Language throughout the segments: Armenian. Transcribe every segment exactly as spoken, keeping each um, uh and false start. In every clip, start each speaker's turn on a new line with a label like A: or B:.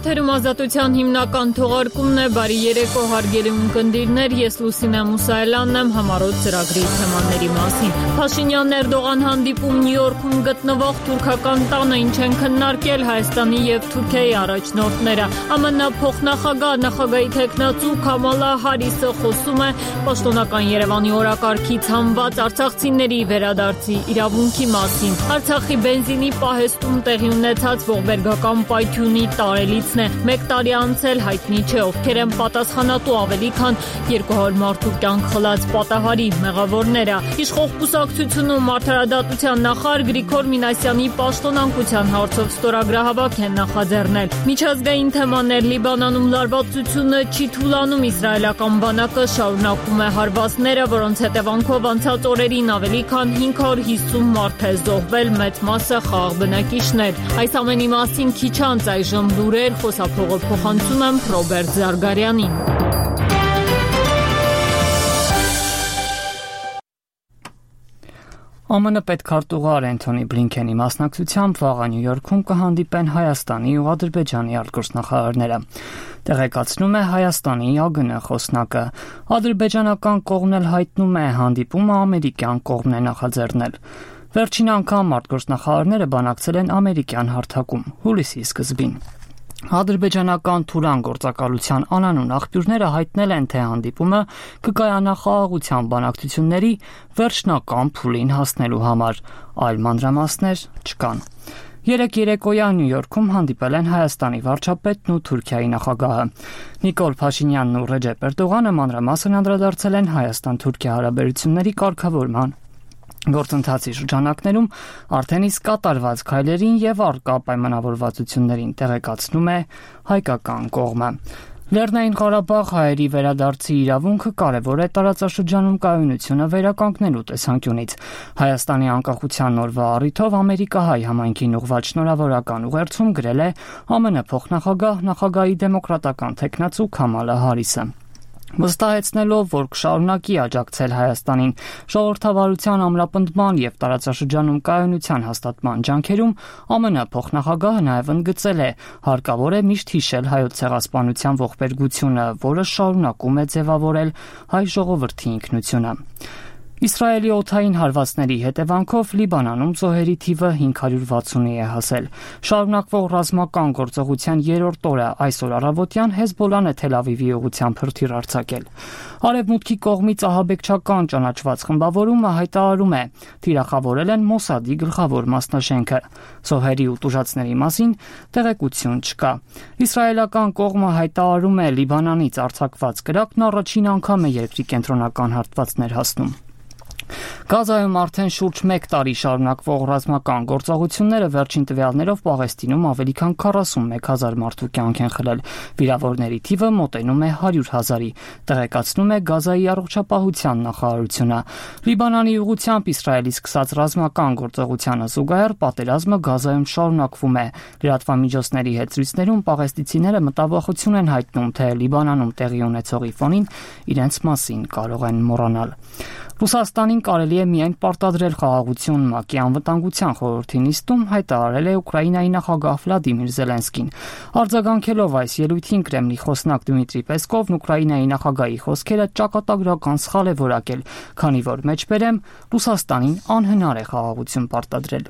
A: Եթերում ազատության հիմնական թողարկումն է, բարի երեկո հարգելի ունկնդիրներ, ես Լուսինե Մուսայելյանն եմ, համառոտ ծրագրի թեմաների մասին։ Փաշինյան-Էրդողան հանդիպում Նյու Յորքում գտնվող թուրքական տանը ինչ են քննարկել Հայաստանի և Թուրքիայի առաջնորդները։ ԱՄՆ փոխնախագահ նախագահի թեկնածու Քամալա Հարիսը խոսում է պաշտոնական Երևանի օրակարգից հանված արցախցիների վերադարձի իրավունքի մասին։ Արցախի բենզինի պահեստում տեղի ունեցած ողբերգական պայթյունի տարելիցն է։ Մեկ տարի անցել հայտնի չէ ովքեր են պատասխանատու ավելի քան երկու հարյուր մարդու կյանք խլած պատահարի մեղավորները։ Իշխող կուսակցությունում արդարադատության նախարար Գրիգոր Մինասյանի պաշտոնանկության հարցով ստորագրահավաք են նախաձեռնել։ Միջազգային թեմաներ Լիբանանում լարվածությունը չի թուլանում, իսրայելական բանակը շարունակում է հարվածները, որոնց հետևանքով անցած օրերին ավելի քան հինգ հարյուր հիսուն մարդ է զոհվել, մեծ մասը խաղաղ բնակիչներ։ Այս ամենի մասին քիչ անց այժմ լուրեր, խոսափողը փոխանցում եմ Ռոբերտ Զարգարյանին։
B: ԱՄՆ պետքարտուղար Էնթոնի Բլինքենի մասնակցությամբ վաղը Նյու Յորքում կհանդիպեն Հայաստանի ու Ադրբեջանի արտգործնախարարները։ Տեղեկացնում է Հայաստանի ԱԳՆ խոսնակը։ Ադրբեջանական կողմն էլ հայտնում է հանդիպումը ամերիկյան կողմն է նախաձեռնել։ Վերջին անգամ արտգործնախարարները բանակցել են ամերիկյան հարթակում հուլիսի սկզբին։ Ադրբեջանական Թուրան գործակալության անանուն աղբյուրները հայտնել են, թե հանդիպումը կկայանա խաղաղության բանակցությունների վերջնական փուլին հասնելու համար, այլ մանրամասներ չկան։ Երեկ երեկոյան Նյու Յորքում հանդիպել են Հայաստանի վարչապետն ու Թուրքիայի նախագահը։ Նիկոլ Փաշինյանն ու Ռեջեփ Էրդողանը մանրամասն անդրադարձել են Հայաստան-Թուրքիա հարաբերությունների կարգավորման գործընթացի շրջանակներում արդեն իսկ կատարված քայլերին եւ առկա պայմանավորվածություններին, տեղեկացնում է հայկական կողմը։ Լեռնային Ղարաբաղ հայերի վերադարձի իրավունքը կարևոր է տարածաշրջանում կայունությունը վերականգնելու տեսանկյունից։ Հայաստանի անկախության օրվա առիթով ամերիկահայ համայնքին ուղղված շնորհավորական ուղերձում գրել է ԱՄՆ փոխնախագահ նախագահի դեմոկրատական թեկնածու Քամալա Հարիսը։ Վստահեցնելով, որ կշարունակի աջակցել Հայաստանին ժողովրդավարության ամրապնդման եւ տարածաշրջանում կայունության հաստատման ջանքերում, ԱՄՆ փոխնախագահը նաեւ ընդգծել է, հարկավոր է միշտ հիշել հայոց ցեղասպանության ողբերգությունը, որը շարունակում է ձևավորել հայ ժողովրդի ինքնությունը։ Իսրայելի օդային հարվածների հետևանքով Լիբանանում զոհերի թիվը հինգ հարյուր վաթսունի է հասել։ Շարունակվող ռազմական գործողության երրորդ օրը այսօր առավոտյան Հեզբոլլան է Թել Ավիվի ուղղությամբ հրթիռ արձակել։ Արևմուտքի կողմից ահաբեկչական ճանաչված խմբավորումը հայտարարում է, թիրախավորել են Մոսադի գլխավոր մասնաշենքը։ Զոհերի ու տուժածների մասին տեղեկություն չկա։ Իսրայելական կողմը հայտարարում է Լիբանանից արձակված կրակն առաջին անգամ է երկրի կենտրոնական հատվածներ հասնում։ Գազայում արդեն շուրջ մեկ տարի շարունակվող ռազմական գործողությունները վերջին տվյալներով Պաղեստինում ավելի քան քառասունմեկ հազար մարդու կյանք են խլել։ Վիրավորների թիվը մոտենում է հարյուր հազարի, տեղեկացնում է Գազայի առողջապահության նախարարությունը։ Լիբանանի ուղղությամբ Իսրայելի սկսած ռազմական գործողությանը զուգահեռ պատերազմը Գազայում շարունակվում է։ Լրատվամիջոցների հետ զրույցներում պաղեստինցիները մտավախություն են հայտնում, թե Լիբանանում տեղի ունեցողի ֆոնին իրենց մասին կարող են մոռանալ։ Ռուսաստանին կարելի է միայն պարտադրել խաղաղություն ՄԱԿ-ի անվտանգության խորհրդի նիստում, հայտարարել է Ուկրաինայի նախագահ Վլադիմիր Զելենսկին։ Արձագանքելով այս ելույթին Կրեմլի խոսնակ Դմիտրի Պեսկովն Ուկրաինայի նախագահի խոսքերը ճակատագրական սխալ է որակել, քանի որ մեջբերեմ Ռուսաստանին անհնար է խաղաղություն պարտադրել։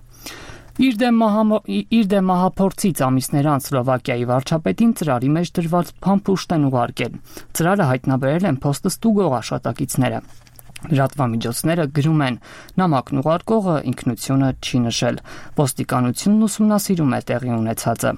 B: Իր դեմ, մահա, իր դեմ մահափորձից ամիսներ անց Սլովակիայի վարչապետին ծրարի մեջ դրված փամփուշտ են ուղարկել։ Ծրարը հայտնաբերել են փոստըստուգող աշխատակիցները։ Լրատվամիջոցները գրում են, նամակն ուղարկողը ինքնությունը չի նշել։ Ոստիկանությունն ուսումնասիրում է տեղի ունեցածը։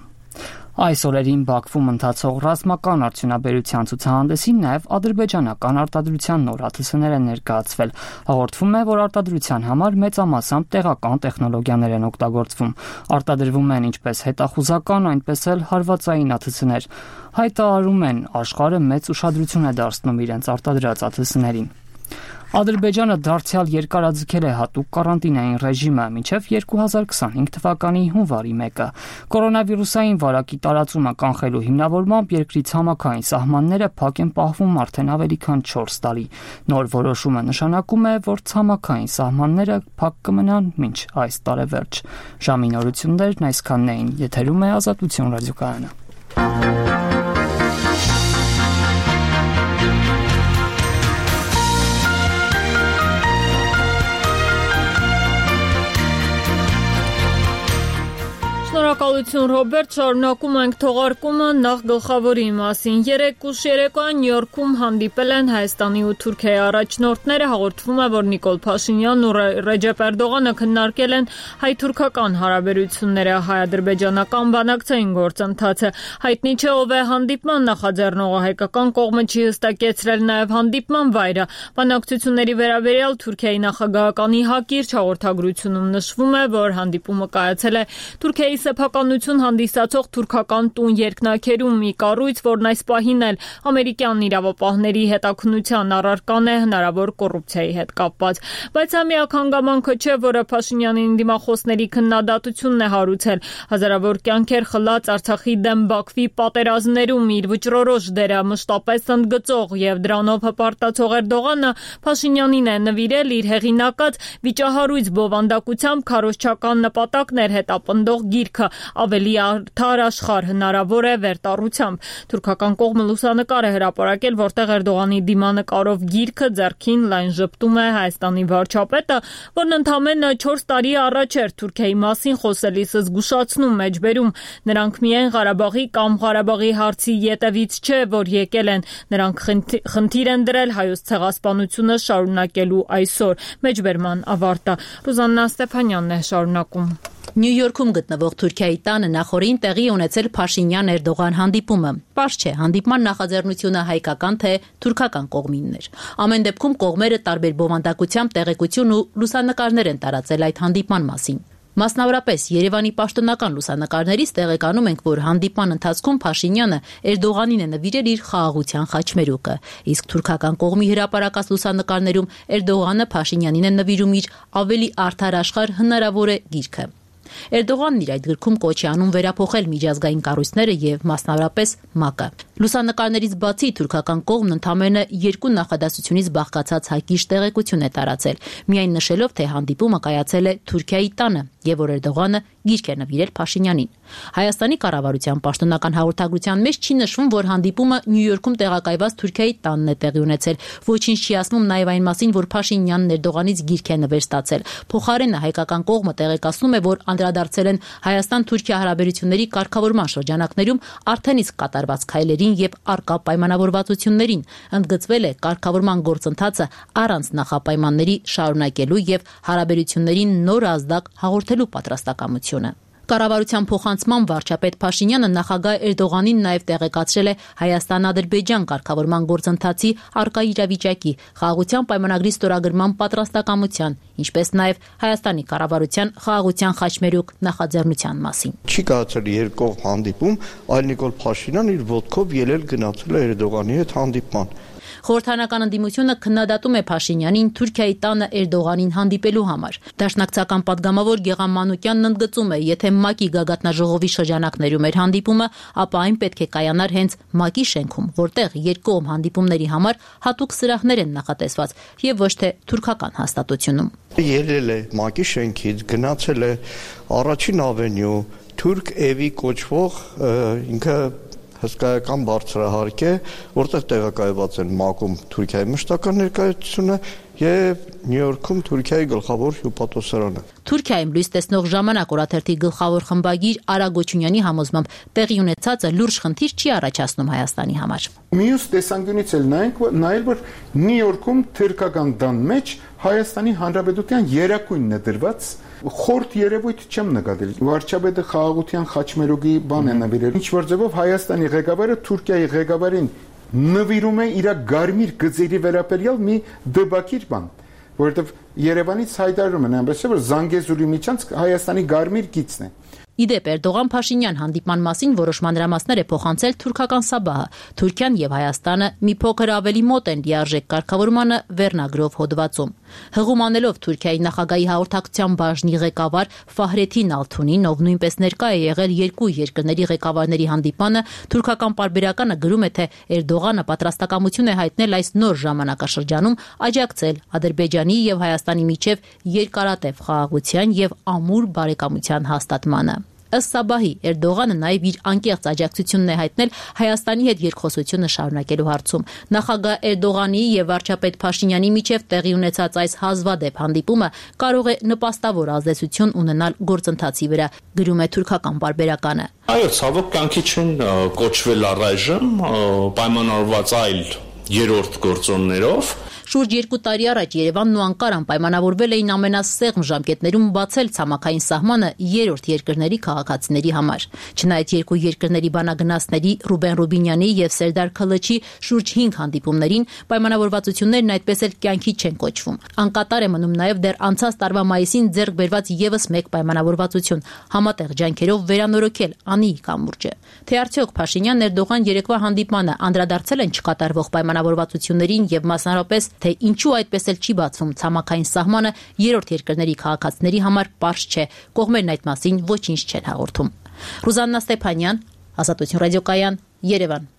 B: Այս օրերին Բաքվում ընթացող ռազմական արդյունաբերության ցուցահանդեսին նաև ադրբեջանական արտադրության նոր աթսներ են ներկայացվել։ Հաղորդվում է, որ արտադրության համար մեծամասամբ տեղական տեխնոլոգիաներ են օգտագործվում։ Արտադրվում են ինչպես հետախուզական, այնպես էլ հարվածային աթսներ։ Հայտարարում են, աշխարհը մեծ ուշադրություն է դարձնում իրենց արտադրած աթսներին։ Ադրբեջանը դարձյալ երկարաձգել է հատուկ կարանտինային ռեժիմը մինչև երկու հազար քսանհինգ թվականի հունվարի մեկը։ Կորոնավիրուսային վարակի տարածումը կանխելու հիմնավորմամբ երկրի ցամաքային սահմանները փակ են պահվում արդեն ավելի քան չորս տարի։ Նոր որոշումը նշանակում է, որ ցամաքային սահմանները փակ կմնան մինչ այս տարեվերջ։ Ժամի նորություններն այսքանն էին։ Եթերում է Ազատություն ռադիոկայանը։
A: Շնորհակալություն Ռոբերտ, շարունակում ենք թողարկումը նախ գլխավորի մասին։ Երեկ ուշ երեկոյան Նյու Յորքում հանդիպել են Հայաստանի ու Թուրքիայի առաջնորդները, հաղորդվում է, որ Նիկոլ Փաշինյանն ու Ռեջեփ Էրդողանը քննարկել են հայ-թուրքական հարաբերությունները, հայ-ադրբեջանական բանակցային գործընթացը։ Հայտնի չէ ով է հանդիպման նախաձեռնողը, հայկական կողմը չի հստակեցրել նաև հանդիպման վայրը։ Բանակցությունների վերաբերյալ Թուրքիայի նախագահականի հակիրճ հաղորդագրությունում նշվում է, որ հանդիպումը կայացել է Թուրքիայի սեփականություն հանդիսացող թուրքական տուն երկնաքերում, մի կառույց, որն այս պահին էլ ամերիկյան իրավապահների հետաքննության առարկան է հնարավոր կոռուպցիայի հետ կապված։ Բայց ամիակ հանգամանքը չէ, որը Փաշինյանի դիմախոսների քննադատությունն է հարուցել։ Հազարավոր կյանքեր խլած Արցախի դեմ Բաքվի պատերազմներում իր վճռորոշ դերը մշտապես ընդգծող եւ դրանով հպարտացող Էրդողանը Փաշինյանին է նվիրել իր հեղինակած վիճահարույց բովանդակությամբ քարոզչական նպատակներ հետապնդող գիրքը ավելի արդար աշխարհ հնարավոր է վերտառությամբ։ Թուրքական կողմը լուսանկար է հրապարակել, որտեղ Էրդողանի դիմանկարով գիրքը ձեռքին լայն ժպտում է Հայաստանի վարչապետը, որն ընդամենը չորս տարի առաջ էր Թուրքիայի մասին խոսելիս զգուշացնում մեջբերում։ Նրանք միայն Ղարաբաղի կամ Ղարաբաղի հարցի ետևից չէ, որ եկել են, նրանք խնդիր են դրել հայոց ցեղասպանությունը շարունակելու այսօր։ Մեջբերման ավարտը։ Ռուզաննա Ստեփանյանն է շարունակում։
C: Նյու Յորքում գտնվող Թուրքիայի տանը նախորդին տեղի ունեցել Փաշինյան-Էրդողան հանդիպումը։ Պարզ չէ, հանդիպման նախաձեռնությունը հայկական թե թուրքական կողմինն էր։ Ամեն դեպքում կողմերը տարբեր բովանդակությամբ տեղեկություն ու լուսանկարներ են տարածել այդ հանդիպման մասին։ Մասնավորապես Երևանի պաշտոնական լուսանկարներից տեղեկանում ենք, որ հանդիպման ընթացքում Փաշինյանը Էրդողանին է նվիրել իր խաղաղության խաչմերուկը, իսկ թուրքական կողմի հրապարակած լուսանկարներում Էրդողանը Փաշինյանին է նվիրում իր ավելի արդար աշխարհ հնարավոր է գիրքը։ Էրդողանն իր այդ գրքում կոչ է անում վերափոխել միջազգային կառույցները եւ մասնավորապես ՄԱԿ-ը։ Լուսանկարներից բացի թուրքական կողմն ընդամենը երկու նախադասությունից բաղկացած հակիրճ տեղեկություն է տարածել, միայն նշելով, թե հանդիպումը կայացել է Թուրքիայի տանը եւ որ Էրդողանը գիրք է նվիրել Փաշինյանին։ Հայաստանի կառավարության պաշտոնական հաղորդագրության մեջ չի նշվում, որ հանդիպումը Նյու Յորքում տեղակայված Թուրքիայի տանն է տեղի ունեցել։ Ոչինչ չի ասվում նաեւ այն մասին, որ Փաշինյանն Էրդողանից գիրք է նվեր ստացել։ Փոխարենը հայկական կողմը տեղեկացնում է, որ անդրադարձել են Հայաստան-Թուրքիա հարաբերությունների կարգավորման շրջանակներում արդեն իսկ կատարված քայլերին եւ արկա պայմանավորվածություններին, ընդգծվել է կարգավորման գործընթացը առանց նախապայմանների շարունակելու եւ հարաբերություններին նոր ազդակ հաղորդելու պատրաստակամությունը։ Կառավարության փոխանցման վարչապետ Փաշինյանը նախագահ Էրդողանին նաև տեղեկացրել է Հայաստան-Ադրբեջան կարգավորման գործընթացի արկա իրավիճակի, խաղաղության պայմանագրի ստորագրման պատրաստակամության, ինչպես նաև Հայաստանի կառավարության խաղաղության խաչմերուկ նախաձեռնության մասին։
D: Չի կայացել երկկողմ հանդիպում, այլ Նիկոլ Փաշինյանն իր ոտքով ելել գնացել է Էրդողանի հետ հանդիպման։
C: Խորհրդանական ընդդիմությունը քննադատում է Փաշինյանին Թուրքիայի տանը Էրդողանին հանդիպելու համար։ Դաշնակցական падգամավոր Գեգամ Մանուկյանն ընդգծում է, եթե ՄԱԿ-ի գագաթնաժողովի շրջանակներում էր հանդիպումը, ապա այն պետք է կայանար հենց ՄԱԿ-ի շենքում, որտեղ երկկողմ հանդիպումների համար հատուկ սրահներ են նախատեսված եւ ոչ թե թուրքական հաստատությունում։
D: Ելել է ՄԱԿ-ի շենքից, գնացել է առաջին ավենյու, Թուրք Էվի կոչվող ինքը հսկայական բարձրահարկ է, որտեղ տեղակայված են ՄԱԿ-ում Թուրքիայի մշտական ներկայացությունը եւ Նյու Յորքում Թուրքիայի գլխավոր հյուպատոսարանը։
C: Թուրքիայում լույս տեսնող ժամանակ օրաթերթի գլխավոր խմբագիր Արա Գոչունյանի համոզմամբ տեղի ունեցածը լուրջ խնդիր չի առաջացնում Հայաստանի համար։
E: Մյուս տեսանկյունից էլ նայենք, նայել որ Նյու Յորքում թուրքական դան մեջ Հայաստանի Հանրապետության երակույնն է դրված, խորտ երևույթ չեմ նկատել։ Վարչապետը խաղաղության խաչմերուկի բան է նվիրել։ Ինչ որ ձևով Հայաստանի ղեկավարը Թուրքիայի ղեկավարին նվիրում է իր գարմիր գծերի վերաբերյալ մի դբակիր բան, որովհետև Երևանից հայտարարում են այնպես որ Զանգեզուրի միջանց Հայաստանի գարմիր գիծն է։
C: Իդեպ Էրդողան-Փաշինյան հանդիպման մասին որոշ մանրամասներ է փոխանցել թուրքական Սաբահը։ Թուրքիան եւ Հայաստանը մի փոքր ավելի մոտ են լիարժեք կարգավորմանը վերնագրով հոդվածում։ Հղում անելով Թուրքիայի նախագահի հաղորդակցության բաժնի ղեկավար Ֆահրեթին Ալթունին, ով նույնպես ներկա է եղել երկու երկրների ղեկավարների հանդիպանը, թուրքական պարբերականը գրում է, թե Էրդողանը պատրաստակամություն է հայտնել այս նոր ժամանակաշրջանում աջակցել Ադրբեջանի եւ Հայաստանի միջև երկարատև խաղաղության եւ ամուր բարեկամության հաստատմանը։ Ըստ Սաբահի, Էրդողանը նաև իր անկեղծ աջակցությունն է հայտնել Հայաստանի հետ երկխոսությունը շարունակելու հարցում։ Նախագահ Էրդողանի եւ վարչապետ Փաշինյանի միջև տեղի ունեցած այս հազվադեպ հանդիպումը կարող է նպաստավոր ազդեցություն ունենալ գործընթացի վրա, գրում է թուրքական պարբերականը։
F: Այո, ցավոք կյանքի չեն կոչվել առայժմ պայմանավորված այլ երրորդ գործոններով։
C: Շուրջ երկու տարի առաջ Երևանն ու Անկարան պայմանավորվել էին ամենասեղմ ժամկետներում բացել ցամաքային սահմանը երրորդ երկրների քաղաքացիների համար։ Չնայած երկու երկրների բանագնացների Ռուբեն Ռուբինյանի եւ Սերդար Քլչի շուրջ հինգ հանդիպումներին պայմանավորվածություններն այդպես էլ կյանքի չեն կոչվում։ Անկատար է մնում նաեւ դեռ անցած տարվա մայիսին ձեռք բերված եւս մեկ պայմանավորվածություն՝ համատեղ ջանքերով վերանորոգել Անիի կամուրջը։ Թե արդյոք Փաշինյան-Էրդողան երեկվա հանդիպմանը անդրադարձել են չկատարվող պայմանավորվածություններին եւ մասնավորապես թե ինչու այդպես էլ չի բացվում ցամաքային սահմանը երրորդ երկրների քաղաքացիների համար պարզ չէ, կողմերն այդ մասին ոչինչ չեն հաղորդում։ Ռուզաննա Ստեփանյան, Ազատություն ռադիոկայան, Երևան։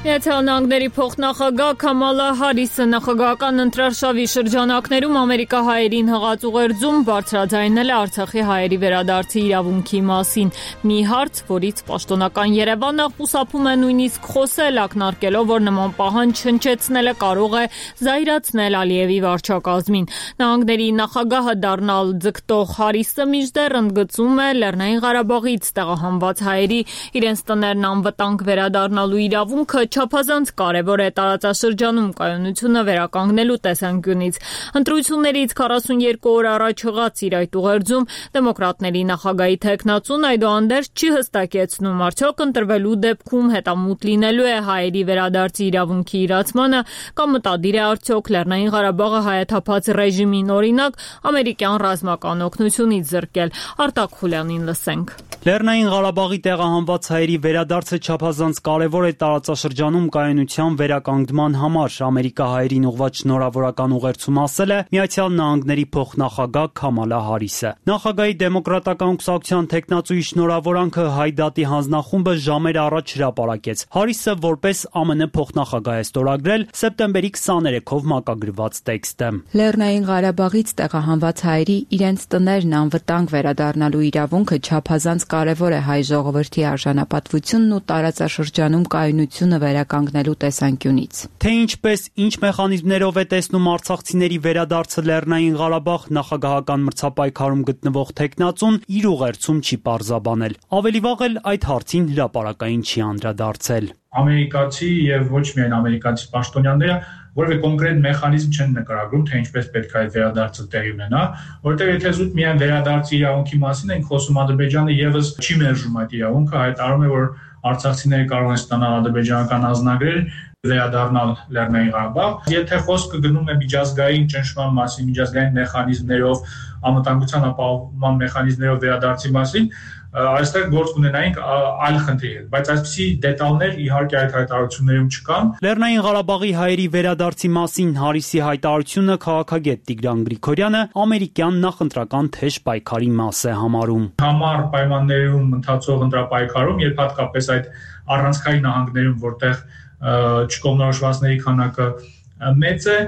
A: Միացյալ Նահանգների փոխնախագահ Քամալա Հարիսը նախագահական ընտրարշավի շրջանակներում ամերիկահայերին հղած ուղերձում բարձրաձայնել է Արցախի հայերի վերադարձի իրավունքի մասին։ Մի հարց, որից պաշտոնական Երևանը խուսափում է նույնիսկ խոսել, ակնարկելով, որ նման պահանջ հնչեցնելը կարող է զայրացնել Ալիևի վարչակազմին։ Նահանգների նախագահը դառնալ ձգտող Հարիսը մինչդեռ ընդգծում է Լեռնային Ղարաբաղից տեղահանված հայերի իրենց տներն անվտանգ վերադառնալու իրավունքը չափազանց կարևոր է տարածաշրջանում կայունությունը վերականգնելու տեսանկյունից։ Ընտրություններից քառասունյոթ օր առաջ հղած իր այդ ուղերձում դեմոկրատների նախագահի թեկնածուն այդուհանդերձ չի հստակեցնում, արդյոք ընտրվելու դեպքում հետամուտ լինելու է հայերի վերադարձի իրավունքի իրացմանը կամ մտադիր է արդյոք Լեռնային Ղարաբաղը հայաթափած ռեժիմին օրինակ ամերիկյան ռազմական օգնությունից զրկել։ Արտակ Խուլյանին լսենք։
G: Լեռնային Ղարաբաղի տեղահանված հայերի վերադարձը չափազանց կարևոր է տարածաշրջանում կայունության վերականգնման համար, ամերիկահայերին ուղղված շնորհավորական ուղերձում ասել է Միացյալ Նահանգների փոխնախագահ Քամալա Հարիսը։ Նախագահի դեմոկրատական կուսակցության թեկնածուի շնորհավորանքը հայ դատի հանձնախումբը ժամեր առաջ հրապարակեց։ Հարիսը որպես ԱՄՆ փոխնախագահ է ստորագրել սեպտեմբերի քսաներեքով մակագրված տեքստը։
H: Լեռնային Ղարաբաղից տեղահանված հայերի իրենց տներն անվտանգ վերադառնալու իրավունքը չափազանց կարևոր է հայ ժողովրդի արժանապատվությունն ու տարածաշրջանում կայունությունը վերականգնելու տեսանկյունից։
G: Թե ինչպես, ինչ մեխանիզմներով է տեսնում արցախցիների վերադարձը Լեռնային Ղարաբաղ, նախագահական մրցապայքարում գտնվող թեկնածուն իր ուղերձում չի պարզաբանել։ Ավելի վաղ էլ այդ հարցին հրապարակային չի անդրադարձել։
I: Ամերիկացի եւ ոչ միայն ամերիկացի պաշտոնյաները որևէ կոնկրետ մեխանիզմ չեն նկարագրում, թե ինչպես պետք է այդ վերադարձը տեղի ունենա, որտեղ եթե զուտ միայն վերադարձի իրավունքի մասին ենք խոսում, Ադրբեջանը եւս չի մերժում այդ իրավունքը, հայտարարում է, որ արցախցիները կարող են ստանալ ադրբեջանական ազնագրեր, վերադառնալ Լեռնային Ղարաբաղ։ Եթե խոսքը գնում է միջազգային ճնշման մասին, միջազգային մեխանիզմներով, անվտանգության ապահովման մեխանիզմներով վերադարձի մասին, այստեղ գործ ունենայինք այլ խնդիրներ, բայց այսպիսի դետալներ իհարկե այդ հայտարարություններում չկան։
G: Լեռնային Ղարաբաղի հայերի վերադարձի մասին Հարիսի հայտարարությունը քաղաքագետ Տիգրան Գրիգորյանը ամերիկյան նախընտրական թեժ պայքարի մաս է համարում։
I: Համառ պայմաններում ընթացող ընտրապայքարում, երբ հատկապես այդ առանցքային նահանգներում, որտեղ չկողմնորոշվածների քանակը մեծ է,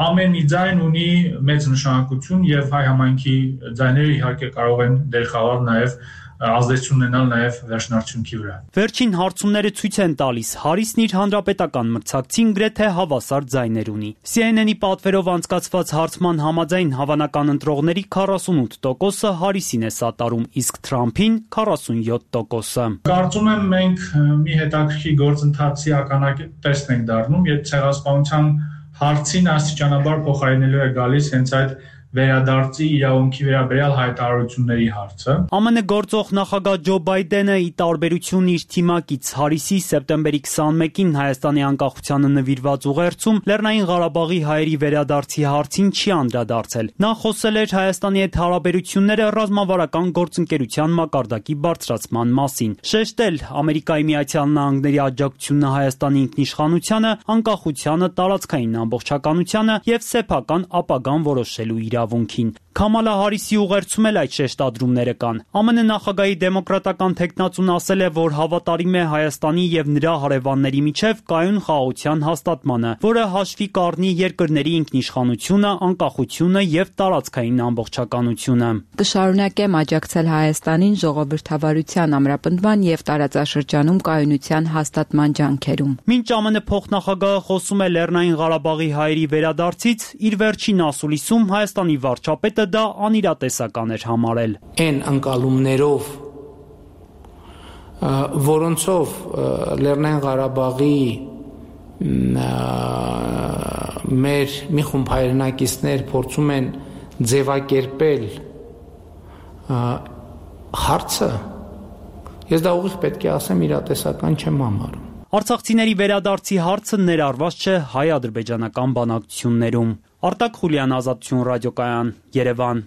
I: ամեն մի ձայն ունի մեծ նշանակություն եւ հայ համայնքի ձայները իհարկե կարող են դեր խաղալ նաեւ ազդեցություն ունենալ նաև վերջնարդյունքի վրա։
G: Վերջին հարցումները ցույց են տալիս, Հարիսն իր հանրապետական մրցակցին գրեթե հավասար ձայներ ունի։ C N N-ի պատվերով անցկացված հարցման համաձայն հավանական ընտրողների քառասունութ տոկոսը Հարիսին է սատարում, իսկ Թրամփին քառասունյոթ տոկոսը։
I: Կարծում եմ մենք մի հետաքրքիր գործընթացի ականատեսն ենք դառնում, երբ ցեղասպանության հարցին աստիճանաբար փոխարինելու է գալիս հենց այդ վերադարձի իրավունքի վերաբերյալ հայտարարությունների հարցը։
G: ԱՄՆ գործող նախագահ Ջո Բայդենը ի տարբերություն իր թիմակից Հարիսի սեպտեմբերի քսաներեքին Հայաստանի անկախությանը նվիրված ուղերձում Լեռնային Ղարաբաղի հայերի վերադարձի հարցին չի անդրադարձել։ Նա խոսել էր Հայաստանի հետ հարաբերությունները ռազմավարական գործընկերության մակարդակի բարձրացման մասին։ Շեշտել Ամերիկայի Միացյալ Նահանգների աջակցությունը Հայաստանի ինքնիշխանությանը, անկախությանը, տարածքային ամբողջականությանը եւ սեփական ապագան որոշելու իրավունքին։ Քամալա Հարիսի ուղերձում էլ այդ շեշտադրումները կան։ ԱՄՆ նախագահի դեմոկրատական թեկնածուն ասել է, որ հավատարիմ է Հայաստանի եւ նրա հարևանների միջև կայուն խաղաղության հաստատմանը, որը հաշվի կառնի երկրների ինքնիշխանությունը, անկախությունը եւ տարածքային ամբողջականությունը։
H: Կշարունակեմ աջակցել Հայաստանին ժողովրդավարության ամրապնդման եւ տարածաշրջանում կայունության հաստատման ջանքերում։
G: Մինչ ԱՄՆ փոխնախագահը խոսում է Լեռնային Ղարաբաղի հայերի վերադարձից, իր վերջին ասուլիսում Հայաստանի վարչապետը դա անիրատեսական էր համարել։
J: Այն անկալումներով, որոնցով Լեռնային Ղարաբաղի մեր մի խումբ հայրենակիցներ փորձում են ձևակերպել հարցը, ես դա ուղիղ պետք է ասեմ իրատեսական չեմ համարում։
G: Արցախցիների վերադարձի հարցը ներառված չէ հայ-ադրբեջանական բանակցություններում։ Արտակ Խուլյան, Ազատություն ռադիոկայան, Երևան։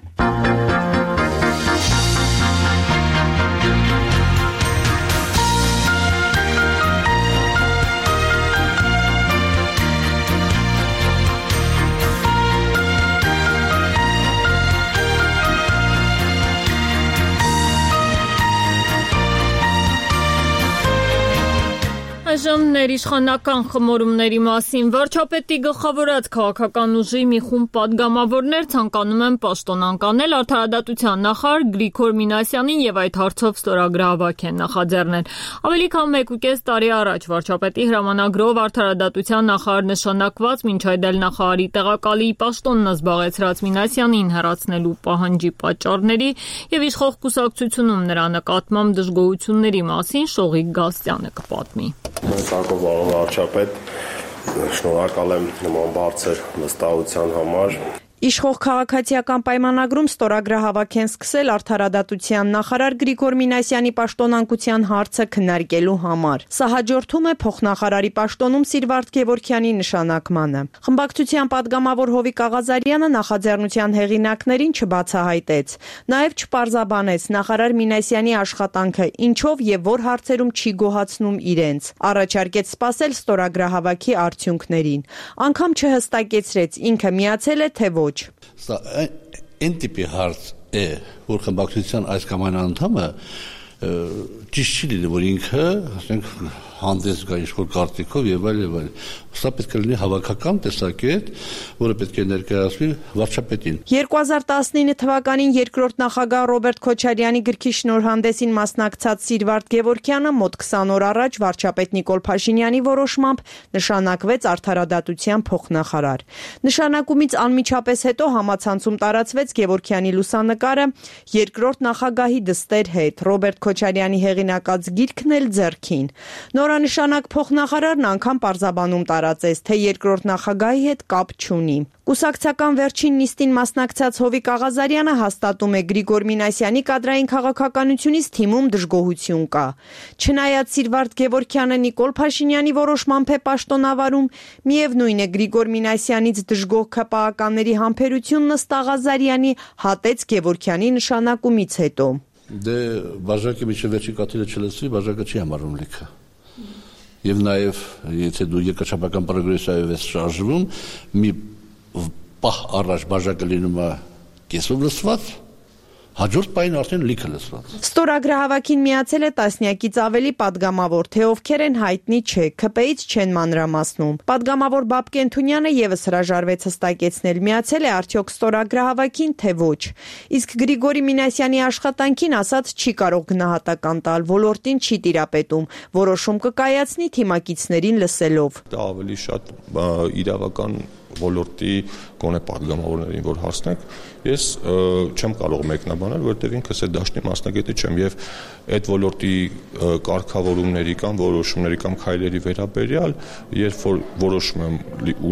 A: Այժմ ներիշխանական խմորումների մասին վարչապետի գլխավորած քաղաքական ուժի մի խումբ պատգամավորներ ցանկանում են պաշտոնանկ անել արդարադատության նախարար Գրիգոր Մինասյանին եւ այդ հարցով ստորագրահավաք են նախաձեռնել։ Ավելի քան մեկուկես տարի առաջ վարչապետի հրամանագրով արդարադատության նախարար նշանակված, մինչ այդ էլ նախարարի տեղակալի պաշտոնն զբաղեցրած Մինասյանին հեռացնելու պահանջի պատճառների եւ իշխող կուսակցությունում նրա նկատմամբ դժգոհությունների մասին Շողիկ Գաստյանը կպատմի։
K: Մենքակով վարչապետ, շնորհակալ եմ նման բարձր վստահության համար։
L: Իշխող քաղաքացիական պայմանագրում ստորագրահավաք են սկսել արդարադատության նախարար Գրիգոր Մինասյանի պաշտոնանկության հարցը քննարկելու համար։ Սա հաջորդում է փոխնախարարի պաշտոնում Սիրվարդ Գևորգյանի նշանակմանը։ Խմբակցության պատգամավոր Հովիկ Աղազարյանը նախաձեռնության հեղինակներին չբացահայտեց, նաև չպարզաբանեց նախարար Մինասյանի աշխատանքը ինչով եւ որ հարցերում չի գոհացնում իրենց։ Առաջարկեց սպասել ստորագրահավաքի արդյունքներին։ Անգամ չհստակեցրեց ինքը միացել է թե ոչ։
M: Սա այն տիպի հարց է, որ խմբակցության այս կամ այն անդամը ճիշտ չի լինի, որ ինքը, ասենք, հանդես գա ինչ-որ կարծիքով եւ այլ եւ այլ։ Սա պետք է լինի հավաքական տեսակետ, որը պետք է ներկայացվի վարչապետին։
L: երկու հազար տասնինը թվականին երկրորդ նախագահ Ռոբերտ Քոչարյանի գրքի շնորհանդեսին մասնակցած Սիրվարդ Գևորգյանը մոտ քսան օր առաջ վարչապետ Նիկոլ Փաշինյանի որոշմամբ նշանակվեց արդարադատության փոխնախարար։ Նշանակումից անմիջապես հետո համացանցում տարածվեց Գևորգյանի լուսանկարը երկրորդ նախագահի դստեր հետ, Ռոբերտ Քոչարյանի հեղինակած գիրքն էլ ձեռքին։ Նորանշանակ փոխնախարարն անգամ պարզաբանում տարածեց, թե երկրորդ նախագահի հետ կապ չունի։ Կուսակցական վերջին նիստին մասնակցած Հովիկ Աղազարյանը հաստատում է Գրիգոր Մինասյանի կադրային քաղաքականությունից թիմում դժգոհություն կա։ Չնայած Սիրվարդ Գևորգյանը Նիկոլ Փաշինյանի որոշմամբ է պաշտոնավարում, միևնույն է Գրիգոր Մինասյանից դժգոհ ՔՊԱ-ականների համբերությունն ըստ Աղազարյանի հատեց Գևորգյանի նշանակումից հետո։
M: Դե բաժակի միջև վերջի կաթիլը չլսվի, բաժակը չի համարում լիքը։ Եվ նաև, եթե դու երկրաչափական պրոգրեսիայով ես շարժվում, մի պահ առաջ բաժակը լինում է կեսով լսված, հաջորդ պահին արդեն լիքը լսված։
L: Ստորագրահավաքին միացել է տասնյակից ավելի պատգամավոր, թե ովքեր են հայտնի չէ, ՔՊ-ից չեն մանրամասնում։ Պատգամավոր Բաբկեն Թունյանը եւս հրաժարվեց հստակեցնել, միացել է արդյոք ստորագրահավաքին, թե ոչ։ Իսկ Գրիգորի Մինասյանի աշխատանքին ասած չի կարող գնահատական տալ, ոլորտին չի տիրապետում, որոշում կկայացնի թիմակիցներին լսելով։
N: Դա ավելի շատ իրավական ոլորտի գոնե պատգամավորներին որ հասնենք, ես չեմ կարող մեկնաբանել, որտեղ ինքս այդ դաշտի մասնագետի չեմ եւ այդ ոլորտի կարգավորումների կամ որոշումների կամ քայլերի վերաբերյալ, երբ որ որոշում եմ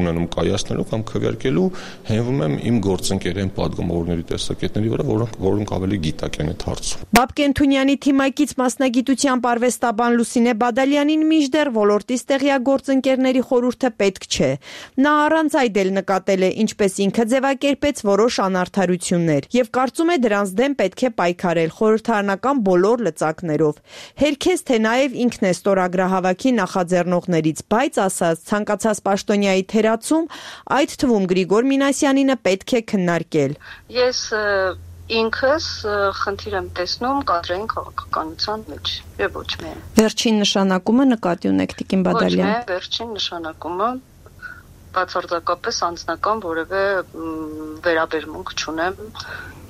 N: ունենում կայացնելու կամ քվեարկելու, հենվում եմ իմ գործընկերային պատգամավորների տեսակետների վրա, որոնք որոնք ավելի գիտակ են այդ հարցում։
L: Բաբկեն Թունյանի թիմակից մասնագիտությամբ արվեստաբան Լուսինե Բադալյանին մինչդեռ ոլորտի ստեղյակ գործընկերների խորհուրդը պետք չէ։ Նա առանց այդ այդ էլ նկատել է, ինչպես ինքը ձևակերպեց որոշ անարդարություններ եւ կարծում է դրանց դեմ պետք է պայքարել խորհրդարանական բոլոր լծակներով։ Հերքես թե նաեւ ինքն է ստորագրահավաքի նախաձեռնողներից, բայց ասաց ցանկացած պաշտոնյայի թերացում, այդ թվում Գրիգոր Մինասյանինը պետք է քննարկել։
O: Ես ինքս խնդիր եմ տեսնում կադրային քաղաքականության մեջ եւ ոչ միայն։
L: Վերջին նշանակումը նկատի ունեք Տիկին Բադալյան։
O: Ոչ միայն վերջին նշանակումը բացարձակապես անձնական որևէ վերաբերմունք չունեմ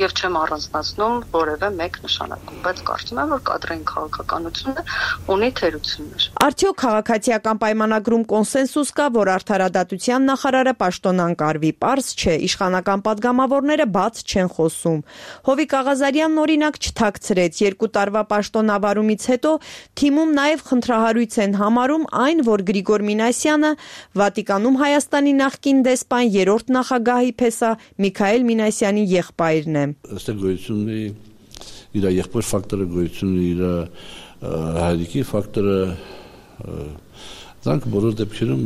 O: եւ չեմ առանձնացնում որևէ մեկ նշանակում, բայց կարծում եմ, որ կադրային քաղաքականությունը ունի թերություններ։
L: Արդյոք քաղաքացիական պայմանագրում կոնսենսուս կա, որ արդարադատության նախարարը պաշտոնանկարվի, պարզ չէ, իշխանական падգամավորները բաց չեն խոսում։ Հովիկ Աղազարյանն օրինակ չթաքցրեց, երկու տարվա պաշտոնավարումից հետո թիմում նաեւ խնդրահարույց են համարում այն, որ Գրիգոր Մինասյանը Վատիկանում Հայաստանի նախկին դեսպան երրորդ նախագահի փեսա Միքայել Մինասյանի եղբայրն է։
M: Այստեղ գոյություն ունի իր եղբոր ֆակտորը, գոյություն ունի իր հայրիկի ֆակտորը, դրանք բոլոր դեպքերում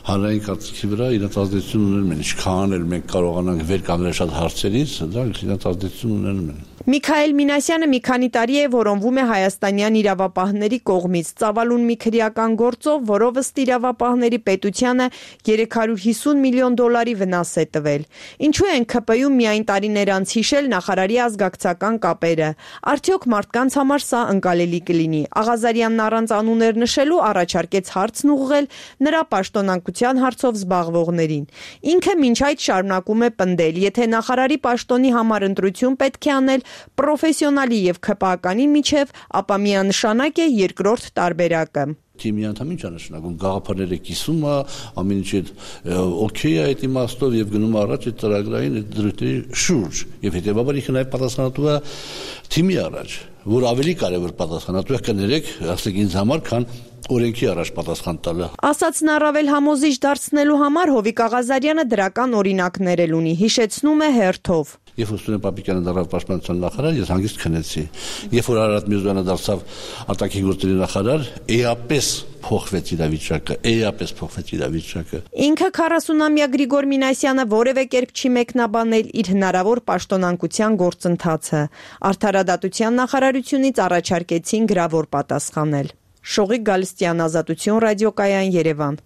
M: հանրային կարծիքի վրա իրենց ազդեցություն ունենում են, ինչքան էլ մենք կարողանանք վեր կանգնել շատ հարցերից, դրանք իրենց ազդեցություն ունենում են։
L: Միքայել Մինասյանը մի քանի տարի է որոնվում է հայաստանյան իրավապահների կողմից, ծավալուն մի քրեական գործով, որով ըստ իրավապահների պետությանը երեք հարյուր հիսուն միլիոն դոլարի վնաս է տվել։ Ինչու են ՔՊ-ում միայն տարիներ անց հիշել նախարարի ազգակցական կապերը։ Արդյոք մարդկանց համար սա ընկալելի կլինի։ Աղազարյանն առանց անուններ նշելու առաջարկեց հարցն ուղղել նրա պաշտոնանկության հարցով զբաղվողներին։ Ինքը մինչ այդ շարունակում է պնդել, եթե նախարարի պաշտոնի համար ընտրություն պետք է անել պրոֆեսիոնալի եւ ՔՊ-ականի միջև, ապա միանշանակ է երկրորդ տարբերակը։
M: Թիմի անդամ ինչ է նշանակում, գաղափարները կիսում է, ամեն ինչ օքեյ է այդ իմաստով եւ գնում առաջ այդ ծրագրային դրույթների շուրջ եւ հետեւաբար ինքը նաեւ պատասխանատու է թիմի առաջ, որ ավելի կարեւոր պատասխանատու է կներեք, ասեք ինձ համար, քան օրենքի առաջ պատասխան տալը։
L: Ասածն առավել համոզիչ դարձնելու համար Հովիկ Աղազարյանը դրական օրինակներ էլ ունի, հիշեցնում է հերթով։
M: Երբ որ Սուրեն Պապիկյանը դարձավ պաշտպանության նախարար, ես հանգիստ քնեցի։ Երբ որ Արարատ Միրզոյանը դարձավ արտաքին գործերի նախարար, էապես փոխվեց իրավիճակը, էապես փոխվեց իրավիճակը։
L: Ինքը քառասունամյա Գրիգոր Մինասյանը որևէ կերպ չի մեկնաբանել իր հնարավոր պաշտոնանկության գործընթացը։ Արդարադատության նախարարությունից առաջարկեցին գրավոր պատասխանել։ Շողիկ Գալստյան, Ազատություն ռադիոկայան, Երևան։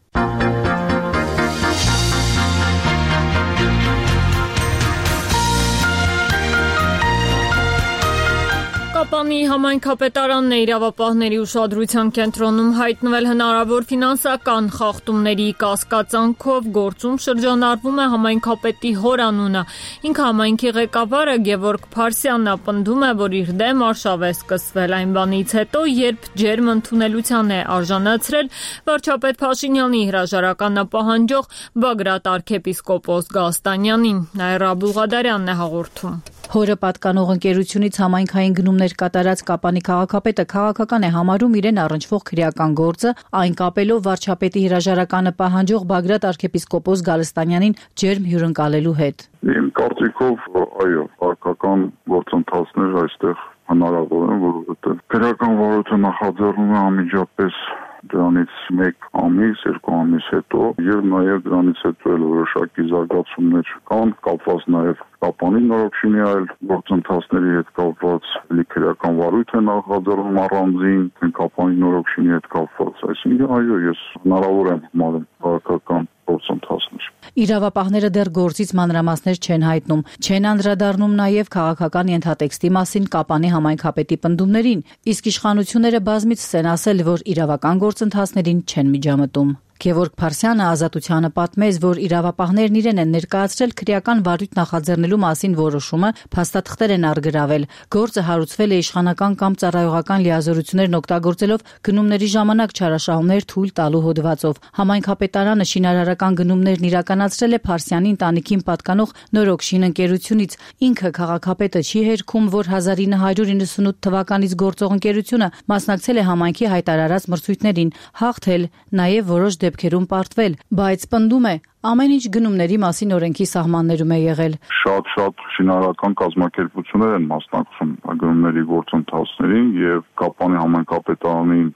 A: Կապանի համայնքապետարանն է իրավապահների ուշադրության կենտրոնում հայտնվել հնարավոր ֆինանսական խախտումների կասկածանքով գործում շրջանառվում է համայնքապետի հոր անունը։ Ինքը համայնքի ղեկավարը Գևորգ Փարսյանն պնդում է, որ իր դեմ արշավ է սկսվել այն բանից հետո, երբ ջերմ ընդունելության է արժանացրել վարչապետ Փաշինյանի հրաժարականը պահանջող Բագրատ arczepiskopos Գալստանյանին։ Նաիրա Բուղադարյանն է հաղորդում։
C: Հորը պատկանող ընկերությունից համայնքային գնումներ կատարած Կապանի քաղաքապետը քաղաքական է համարում իրեն առնչվող քրեական գործը, այն կապելով վարչապետի հրաժարականը պահանջող Բագրատ arczepiskopos Գալստանյանին ջերմ հյուրընկալելու հետ։
P: Իմ կարծիքով, այո, քաղաքական գործընթացներ այստեղ հնարավոր են, որովհետև քրեական վարույթը նախաձեռնում է անմիջապես դրանից մեկ ամիս, երկու ամիս հետո եւ նաեւ դրանից հետո էլ որոշակի զարգացումներ կան, կապված նաեւ Կապանի նորոգչինի այլ գործընթացների հետ կապված քրեական վարույթ է նախաձեռնում առանձին, Կապանի նորոգչինի հետ կապված, այսինքն այո, ես հնարավոր եմ համարում քաղաքական գործընթացներ։
C: Իրավապահները դեռ գործից մանրամասներ չեն հայտնում, չեն անդրադառնում նաև քաղաքական ենթատեքստի մասին Կապանի համայնքապետի պնդումներին, իսկ իշխանությունները բազմիցս են ասել, որ իրավական գործընթացներին չեն միջամտում։ Գևորգ Փարսյանը Ազատությանը պատմեց, որ իրավապահներն իրեն են ներկայացրել քրեական վարույթ նախաձեռնելու մասին որոշումը, փաստաթղթեր են առգրավել։ Գործը հարուցվել է իշխանական կամ ծառայողական լիազորություններն օգտագործելով գնումների ժամանակ չարաշահումներ թույլ տալու հոդվածով։ Համայնքապետարանը շինարարական գնումներն իրականացրել է Փարսյանի ընտանիքին պատկանող Նորոգշին ընկերությունից։ Ինքը քաղաքապետը չի հերքում, որ հազար ինը հարյուր իննսունութ թվականից գործող ընկերությունը մասնակցել է համայնքի հայտարարած մրցույթներին, հաղթել, նաև որոշ դեպքերում պարտվել, բայց պնդում է Ամեն ինչ գնումների մասին օրենքի սահմաններում է եղել։
P: Շատ-շատ շինարարական կազմակերպություններ են մասնակցում գնումների գործընթացներին եւ Կապանի համայնքապետարանին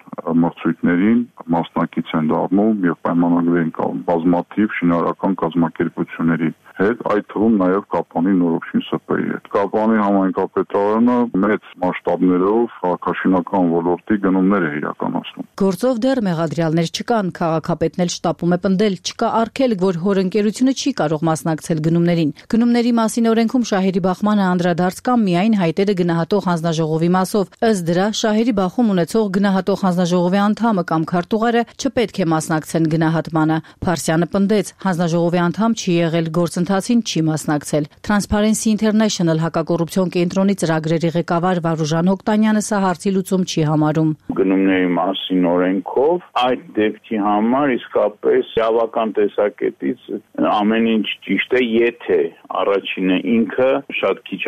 P: մրցույթներին մասնակից են դառնում եւ պայմանագրեր են կազմում բազմաթիվ շինարարական կազմակերպությունների հետ, այդ թվում նաեւ Կապանի նորոգչին ՍՊ-ի հետ։ Կապանի համայնքապետարանը մեծ մասշտաբներով քաղաքաշինական ոլորտի գնումներ է իրականացնում։
C: Գործով դեռ մեղադրյալներ չկան, քաղաքապետն էլ շտապում է պնդել, չկա արգելք, որ հորընկերությունը չի կարող մասնակցել գնումներին։ Գնումների մասին օրենքում շահերի բախմանը անդրադարձ կա միայն հայտերը գնահատող հանձնաժողովի մասով։ Ըստ դրա, շահերի բախում ունեցող գնահատող հանձնաժողովի անդամը կամ քարտուղարը չպետք է մասնակցեն գնահատմանը։ Փարսյանը պնդեց, հանձնաժողովի անդամ չի եղել, գործընթացին չի մասնակցել։ Transparency International հակակոռուպցիոն կենտրոնի ծրագրերի ղեկավար Վարուժան Հոկտանյանը սա հարցի լուծում չի համարում։
Q: Գնումների մասին օրենքով այդ դեպքի համար իսկապես իրավական տեսակետից ամեն ինչ ճիշտ է, եթե առաջինը ինքը շատ քիչ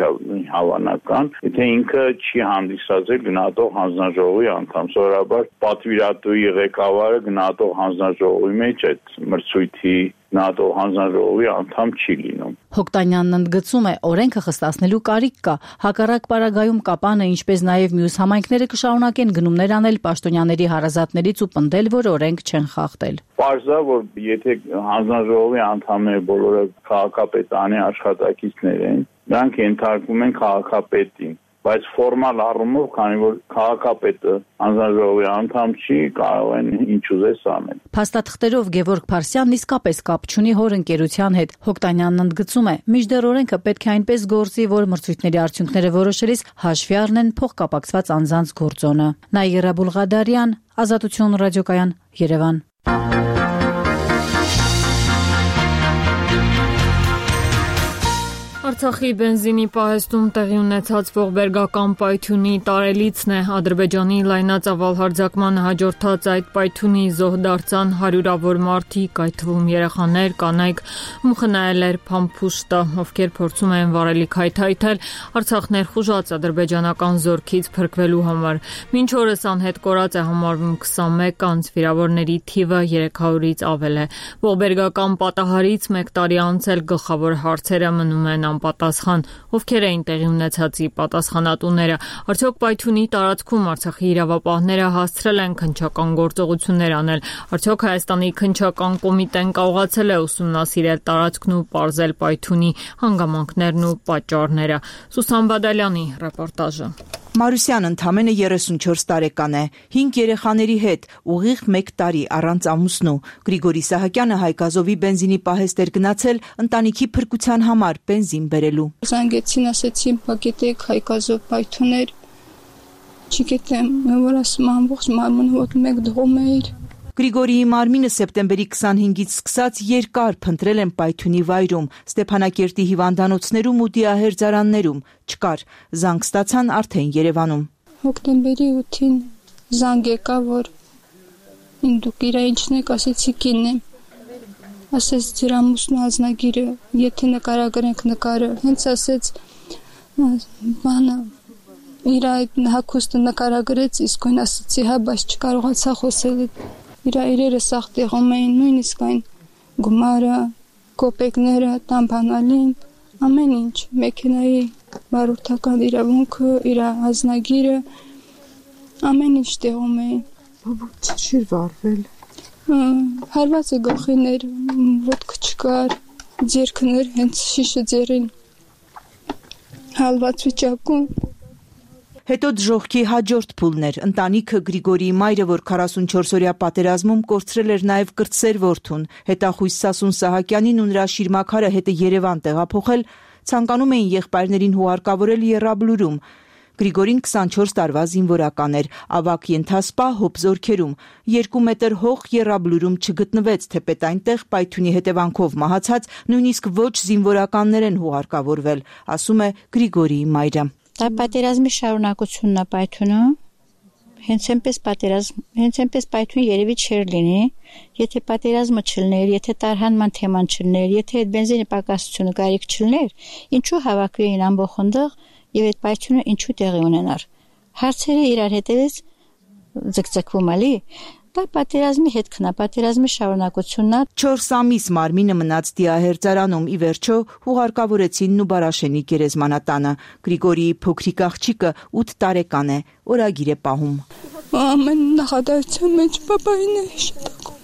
Q: հավանական, եթե ինքը չի հանդիսացել գնահատող հանձնաժողովի անդամ, սովորաբար պատվիրատուի ղեկավարը գնահատող հանձնաժողովի մեջ այդ մրցույթի գնահատող հանձնաժողովի անդամ չի լինում։
C: Հոկտանյանն ընդգծում է, օրենքը խստացնելու կարիք կա, հակառակ պարագայում Կապանը, ինչպես նաև մյուս համայնքները կշարունակեն գնումներ անել պաշտոնյաների հարազատներից ու պնդել, որ օրենք չեն խախտել։
Q: Պարզա, որ եթե հանձնաժողովի անդամները բոլորը քաղաքապետարանի աշխատակիցներ են, նրանք ենթարկվում են քաղաքապետին, բայց ֆորմալ առումով, քանի որ քաղաքապետը հանձնաժողովի անդամ չի, կարող են ինչ ուզես անել։
C: Փաստաթղթերով Գևորգ Փարսյանն իսկապես կապ չունի հորընկերության հետ։ Հոկտանյանն ընդգծում է, մինչդեռ օրենքը պետք է այնպես գործի, որ մրցույթների արդյունքները որոշելիս հաշվի առնեն փոխկապակցված անձանց գործոնը։ Նաիրա Բուլղադարյան, Ազատություն ռադիոկայան, Երևան։
A: Արցախի բենզինի պահեստում տեղի ունեցած ողբերգական պայթյունի տարելիցն է։ Ադրբեջանի լայնածավալ հարձակմանը հաջորդած այդ պայթյունի զոհ դարձան հարյուրավոր մարդիկ, այդ թվում երեխաներ, կանայք, ում խնայել էր փամփուշտը, ովքեր փորձում են վառելիք հայթայթել Արցախ ներխուժած ադրբեջանական զորքից փրկվելու համար։ Մինչ օրս անհետ կորած է համարվում քսանմեկ անձ, վիրավորների թիվը երեք հարյուրից ավել է։ Ողբերգական պատահարից մեկ տարի անց էլ գլխավոր հարցերը մնում են պատասխան, ովքեր էին տեղի ունեցածի պատասխանատուները։ Արդյոք պայթյունի տարածքում Արցախի իրավապահները հասցրել են քննչական գործողություններ անել։ Արդյոք Հայաստանի քննչական կոմիտեն կարողացել է ուսումնասիրել տարածքն ու պարզել պայթյունի հանգամանքներն ու պատճառները։ Սուսան Բադալյանի ռեպորտաժը։
R: Մարուսյան ընդամենը երեսունչորս տարեկան է, հինգ երեխաների հետ, ուղիղ մեկ տարի առանց ամուսնու։ Գրիգորի Սահակյանը Հայկազովի բենզինի պահեստ էր գնացել ընտանիքի փրկության համար բենզին բերելու։
S: Զանգեցին, ասեցին, «Պակետեք Հայկազով պայթուներ»։ Չգիտեմ, որ ասում ամբողջ մարմինը ոտ մեկ դողում էր։
R: Գրիգորիի մարմինը սեպտեմբերի քսանհինգից սկսած երկար փնտրել են պայթյունի վայրում, Ստեփանակերտի հիվանդանոցներում ու դիահերձարաններում, չկար, զանգ ստացան արդեն Երևանում։
S: Հոկտեմբերի ութին զանգ եկա, որ դուք իրա ինչն եք, ասեցի կինն եմ, ասեց ձեր ամուսնու ազնագիրը, եթե նկարագրենք նկարը, հենց ասեց բանը, իր այդ հագուստը նկարագրեց, իսկույն ասեցի, հա, բայց չկարողացա խոսել։ Իրա իրերը սաղ տեղում էին, նույնիսկ այն գումարը, կոպեկները, տամբանալին, ամեն ինչ, մեքենայի վարորդական իրավունքը, իր ազնագիրը, ամեն ինչ տեղում էին։
R: Բաբուց չի վարվել։
S: Հարված է գլխիներ, ոտքը չկար, ձերքներ, հենց շիշը ձերին, հալված վիճակում։
R: Հետո դժոխքի հաջորդ փուլն էր, ընտանիքը Գրիգորիի մայրը, որ քառասունչորս-օրյա պատերազմում կորցրել էր նաև կրտսեր որդուն, հետախույս Սասուն Սահակյանին ու նրա շիրմաքարը հետը Երևան տեղափոխել, ցանկանում էին եղբայրներին հուարկավորել Եռաբլուրում։ Գրիգորին քսանչորս տարվա զինվորական էր, ավագ ենթասպա հոբ զորքերում, երկու մետր հող Եռաբլուրում չգտնվեց, թեպետ այնտեղ պայթյունի հետևանքով մահացած նույնիսկ ոչ զինվորականներ են հուարկավորվել, ասում է Գրիգորիի մայրը։
T: Դա պատերազմի շարունակությունն է պայթյունը, հենց այնպես պատերազմ, հենց այնպես պայթյուն երևի չէր լինի, եթե պատերազմը չլներ, եթե տարհանման թեման չլներ, եթե այդ բենզինի պակասությունը կարիք չլներ, ինչու հավաքվի էին ամբողջնդեղ եւ այդ պայթյունը ինչու տեղի ունենար։ Հարցերը իրար հետևից ձգձգվում ալի, Դա պատերազմի հետքն է, պատերազմի շարունակությունն է։
R: չորս ամիս մարմինը մնաց դիահերձարանում, ի վերջո հուղարկավորեցին Նուբարաշենի գերեզմանատանը։ Գրիգորիի փոքրիկ աղջիկը ութ տարեկան է, օրագիր է պահում։
S: Ամեն նախադասության մեջ պապային է հիշատակում։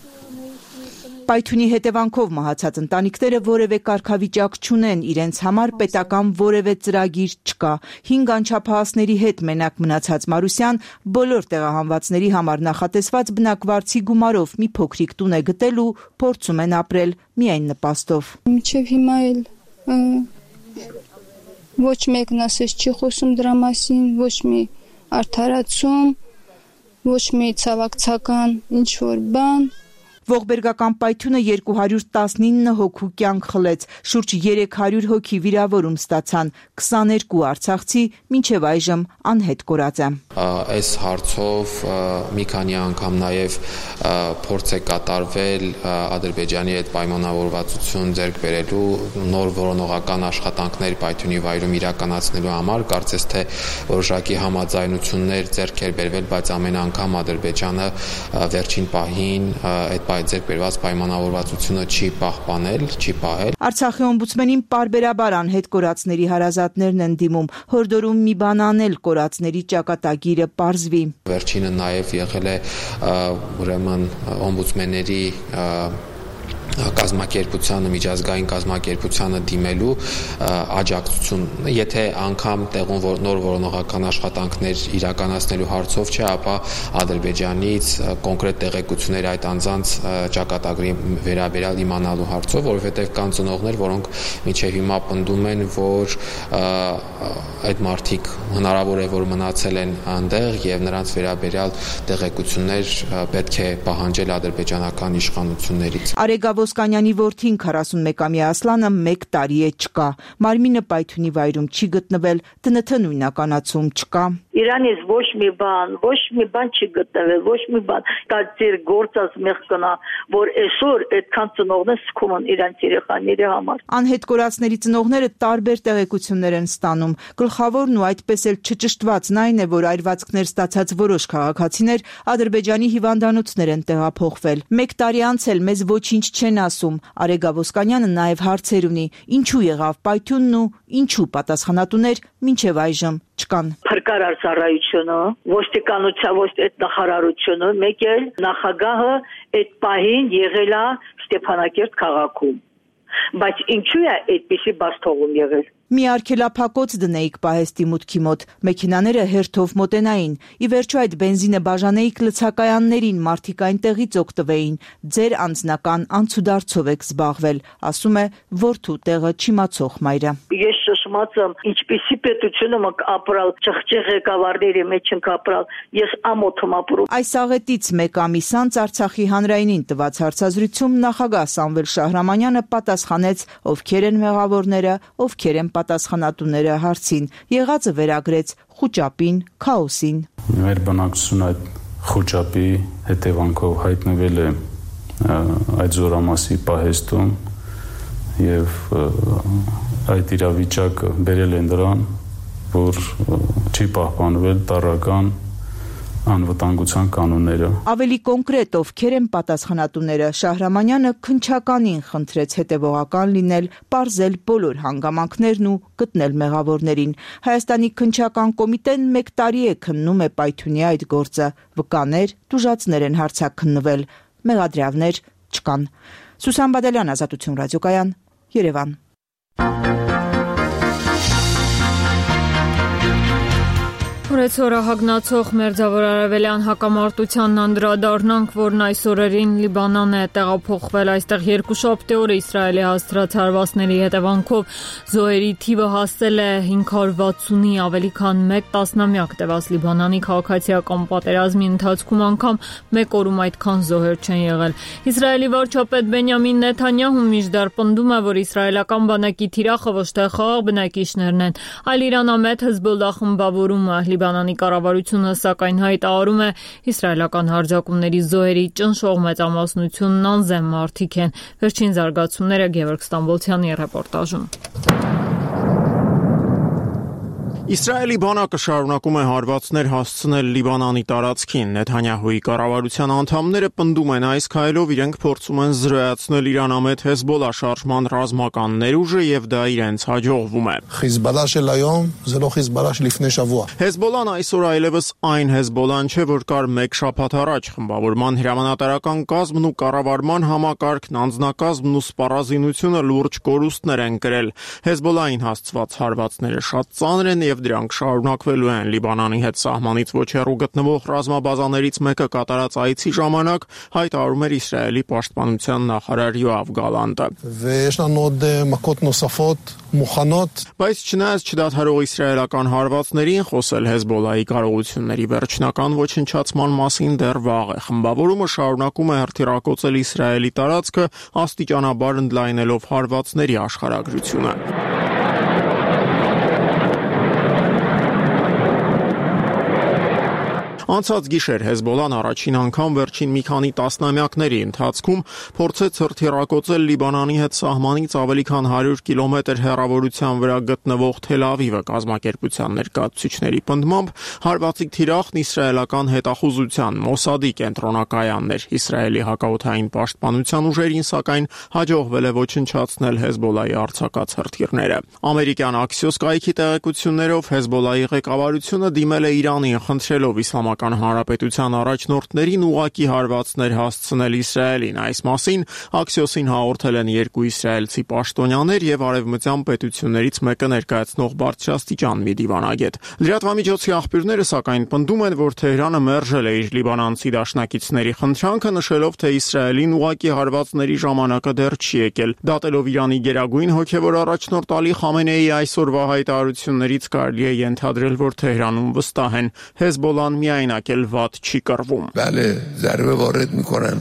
R: Պայթյունի հետևանքով մահացած ընտանիքները որևէ կարգավիճակ չունեն, իրենց համար պետական որևէ ծրագիր չկա։ Հինգ անչափահասների հետ մենակ մնացած Մարուսյան բոլոր տեղահանվածների համար նախատեսված բնակվարձի գումարով մի փոքրիկ տուն է գտել ու փորձում են ապրել միայն նպաստով։
S: Մինչև հիմա էլ ոչ մեկն ասես չի խոսում դրա մասին, ոչ մի արդարացում, ոչ մի ցավակցական ինչ որ բան։
R: Ողբերգական պայթյունը երկու հարյուր տասնինը հոգու կյանք խլեց, շուրջ երեք հարյուր հոգի վիրավորում ստացան, քսաներկու արցախցի մինչև այժմ անհետ կորած է։
U: Այս հարցով մի քանի անգամ նաև փորձ է կատարվել Ադրբեջանի հետ պայմանավորվածություն ձեռք բերելու, նոր որոնողական աշխատանքներ պայթյունի վայրում իրականացնելու համար, կարծես թե որոշակի համաձայնություններ ձեռք էր բերվել, բայց ամեն անգամ Ադրբեջանը վերջին պահին այդ ձեռք բերված պայմանավորվածությունը չի պահպանել, չի պահել։
R: Արցախի օմբուդսմենին պարբերաբար անհետ կորածների հարազատներն են դիմում, հորդորում մի բան անել կորածների ճակատագիրը պարզվի։
U: Վերջինը նաև եղել է ուրեմն օմբուդսմենների կազմակերպությանը, միջազգային կազմակերպությանը դիմելու աջակցություն, եթե անգամ տեղում նոր որոնողական աշխատանքներ իրականացնելու հարցով չէ, ապա Ադրբեջանից կոնկրետ տեղեկություններ այդ անձանց ճակատագրի վերաբերյալ իմանալու հարցով, որովհետև կան ծնողներ, որոնք մինչև հիմա պնդում են, որ այդ մարդիկ հնարավոր է, որ մնացել են այնտեղ եւ նրանց վերաբերյալ տեղեկություններ պետք է պահանջել ադրբեջանական իշխանություններից։
R: Ոսկանյանի որդին քառասունմեկամյա Ասլանը մեկ տարի է չկա։ Մարմինը պայթյունի վայրում չի գտնվել, ԴՆԹ նույնականացում չկա։
V: Իրանից ոչ մի բան, ոչ մի բան չի գտնվել, ոչ մի բան։ Դա ձեր գործած մեղքն է, որ այսօր այդքան ծնողներ սքում են իրանց երեխաների համար։
R: Անհետ կորածների ծնողները տարբեր տեղեկություններ են ստանում։ Գլխավորն ու այդպես էլ չճշտվածն այն է, որ այրվածքներ ստացած որոշ քաղաքացիներ Ադրբեջանի հիվանդանոցներ են տեղափոխվել։ Մեկ տարի անց էլ մեզ ոչինչ չեն ասում։ Արեգա Ոսկանյանը նաև հարցեր ունի. ինչու եղավ պայթյունն ու ինչու պատասխանատուներ մինչև այժմ չկան։
V: Փրկարար ծառայությունը, ոստիկանության ոչ այդ նախարարությունը, մեկ էլ նախագահը այդ պահին եղել է Ստեփանակերտ քաղաքում։ Բայց ինչու է այդպիսի բաստողում եղել։
R: Մի արգելափակոց դնեիք պահեստի մուտքի մոտ, մեքենաները հերթով մոտենային, ի վերջո այդ բենզինը բաժանեիք լցակայաններին, մարդիկ այնտեղից օգտվեին, ձեր անձնական անցուդարձով եք զբաղվել, ասում է որդու տեղը չիմացող մայրը։
V: Ես շշմած եմ, ինչպիսի պետություն եմ ապրալ, ճղճեղ ղեկավարների մեջ ենք ապրալ, ես ամոթ եմ ապրում։
R: Այս աղետից մեկ ամիս անց Արցախի հանրայինին տված հարցազրույցում նախագահ Սամվել Շահրամանյանը պատասխանեց, ովքեր են մեղավորները, ովքեր են պատասխանատուները հարցին, եղածը վերագրեց խուճապին, քաոսին։
W: Մեր բնակչությունը այդ խուճապի հետևանքով հայտնվել է այդ զորամասի պահեստում եւ այդ իրավիճակը բերել են դրան, որ չի պահպանվել տարրական անվտանգության կանոնները։
R: Ավելի կոնկրետ ովքեր են պատասխանատուները, Շահրամանյանը քննչականին խնդրեց հետևողական լինել, պարզել բոլոր հանգամանքներն ու գտնել մեղավորներին։ Հայաստանի քննչական կոմիտեն մեկ տարի է քննում է պայթյունի այդ գործը, վկաներ, տուժածներ են հարցաքննվել, մեղադրյալներ չկան։ Սուսան Բադալյան, Ազատություն ռադիոկայան, Երևան։
A: Օրեցօրը հագնացող մերձավոր արևելյան հակամարտությանն անդրադառնանք, որն այս օրերին Լիբանան է տեղափոխվել, այստեղ երկուշաբթի օրը Իսրայելի հասցրած հարվածների հետևանքով զոհերի թիվը հասել է հինգ հարյուր վաթսունի, ավելի քան մեկ տասնամյակ տևած Լիբանանի քաղաքացիական պատերազմի ընթացքում անգամ մեկ օրում այդքան զոհեր չեն եղել։ Իսրայելի վարչապետ Բենյամին Նեթանյահուն միշտար պնդում է, որ իսրայելական բանակի թիրախը ոչ թե խաղաղ բնակիչներն են, այլ իրանամետ Հեզբոլլահ խմբավորումը։ Լիբանանի կառավարությունը սակայն հայտարարում է իսրայելական հարձակումների զոհերի ճնշող մեծամասնությունն անզեն մարդիկ են։ Վերջին զարգացումները Գևորգ Ստամբոլցյանի ռեպորտաժում։
B: Իսրայելի բանակը շարունակում է հարվածներ հասցնել Լիբանանի տարածքին։ Նեթանյահուի կառավարության անդամները պնդում են այս քայլով իրենք փորձում են զրոյացնել Իրանամետ Հեզբոլա շարժման ռազմական ներուժը եւ դա իրենց հաջողվում է։ Հեզբոլան այսօր այլևս այն Հեզբոլան չէ, որ կար մեկ շաբաթ առաջ։ Խմբավորման հրամանատարական կազմն ու կառավարման համակարգն, անձնակազմն ու սպառազինությունը լուրջ կորուստներ են կրել։ Հեզբոլային հասցված հարվածները շատ ծանր են եւ դրանք շարունակվելու են։ Լիբանանի հետ սահմանից ոչ հեռու գտնվող ռազմաբազաներից մեկը կատարած այցի ժամանակ հայտարարում էր Իսրայելի պաշտպանության նախարար Յոավ Գալանտը։ Բայց չնայած չդադարող իսրայելական հարվածներին, խոսել Հեզբոլայի կարողությունների վերջնական ոչնչացման մասին դեռ վաղ է։ Խմբավորումը շարունակում է հրթիռակոծել Իսրայելի տարածքը, աստիճանաբար ընդլայնելով հարվածների աշխարհագրությունը։ Անցած գիշեր Հեզբոլան առաջին անգամ վերջին մի քանի տասնամյակների ընթացքում փորձեց հրթիռակոծել Լիբանանի հետ սահմանից ավելի քան հարյուր կիլոմետր հեռավորության վրա գտնվող Թել Ավիվը։ Կազմակերպության ներկայացուցիչների պնդմամբ հարվածի թիրախն իսրայելական հետախուզության Մոսադի կենտրոնակայանն էր։ Իսրայելի հակաօդային պաշտպանության ուժերին սակայն հաջողվել է ոչնչացնել Հեզբոլայի արձակած հրթիռները։ Ամերիկյան Axios կայքի տեղեկություններով Հեզբոլայի ղեկավարությունը դիմել է Իրանին, խնդրելով իսլամական Հանրապետության առաջնորդներին ուղակի հարվածներ հասցնել Իսրայելին։ Այս մասին Axios-ին հաղորդել են երկու իսրայելցի պաշտոնյաներ եւ արևմտյան պետություններից մեկը ներկայացնող բարձրաստիճան մի դիվանագետ։ Լրատվամիջոցի աղբյուրները սակայն պնդում են, որ Թեհրանը մերժել է իր լիբանանցի դաշնակիցների խնդրանքը, նշելով, թե Իսրայելին ուղակի հարվածների ժամանակը դեռ չի եկել։ Դատելով Իրանի գերագույն հոգևոր առաջնորդ Ալի Խամենեիի այսօրվա հայտարարություններից կարելի է ենթադրել, որ Թեհրանում վստահ են Հեզբոլան միայնակ էլ վատ չի կռվում։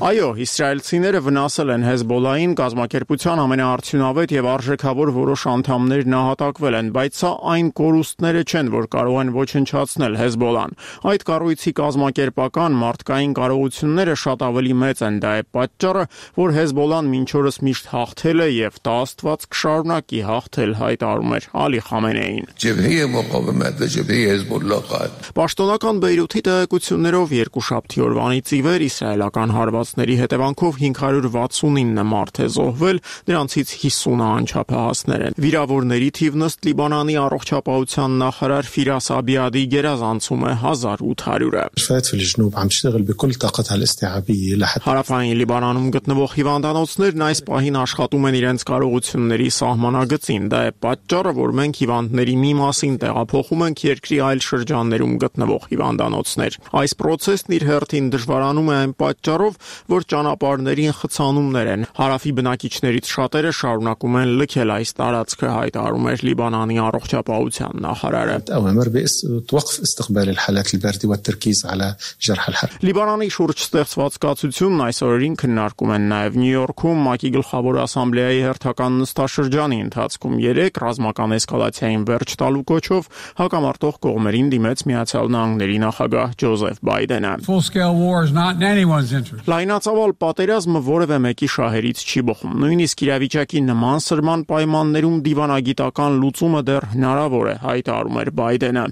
B: Այո, իսրայելցիները վնասել են Հեզբոլային, կազմակերպության ամենաարդյունավետ եւ արժեքավոր որոշ անդամներ նահատակվել են, բայց սա այն կորուստները չեն, որ կարող են ոչնչացնել Հեզբոլան։ Այդ կառույցի կազմակերպական մարդկային կարողությունները շատ ավելի մեծ են, դա է պատճառը, որ Հեզբոլան մինչ օրս միշտ հաղթել է եւ դա Աստված կշարունակի հաղթել, հայտարարում էր Ալի Խամենեին։ Պաշտոնական Բեյրութի տեղեկություններով երկուշաբթի օրվանից ի վեր իսրայելական հարվածների հետևանքով հինգ հարյուր վաթսունինը մարդ է զոհվել, դրանցից հիսունը անչափահասներ են։ Վիրավորների թիվն ըստ Լիբանանի առողջապահության նախարար Ֆիրաս Աբիադի գերազանցում է հազար ութ հարյուրը։ Հարավային Լիբանանում գտնվող հիվանդանոցներն այս պահին աշխատում են իրենց կարողությունների սահմանագծին։ Դա է պատճառը, որ մենք հիվանդների մի մասին տեղափոխում ենք երկրի այլ շրջաններում գտնվող հիվանդանոցներ։ Այս process-ն իր հերթին դժվարանում է այն պատճառով, որ ճանապարհներին խցանումներ են։ Հարավի բնակիչներից շատերը շարունակում են լքել այս տարածքը, հայտարարում էր Լիբանանի առողջապահության նախարարը։ Լիբանանի շուրջ ստեղծված կացությունն այս օրերին քննարկում են նաև Նյու Յորքում ՄԱԿ-ի գլխավոր ասամբլեայի հերթական նստաշրջանի ընթացքում երեք ռազմական էսկալացիային վերջ տալու կոչով հակամարտող կողմերին դիմեց Միացյալ Նահանգների նախագահ Ջոզեֆ Բայդենը։ Լայնածավալ պատերազմը որևէ մեկի շահերից չի բխում։ Նույնիսկ իրավիճակի նման սրման պայմաններում դիվանագիտական լուծումը դեռ հնարավոր է, հայտարարում էր Բայդենը։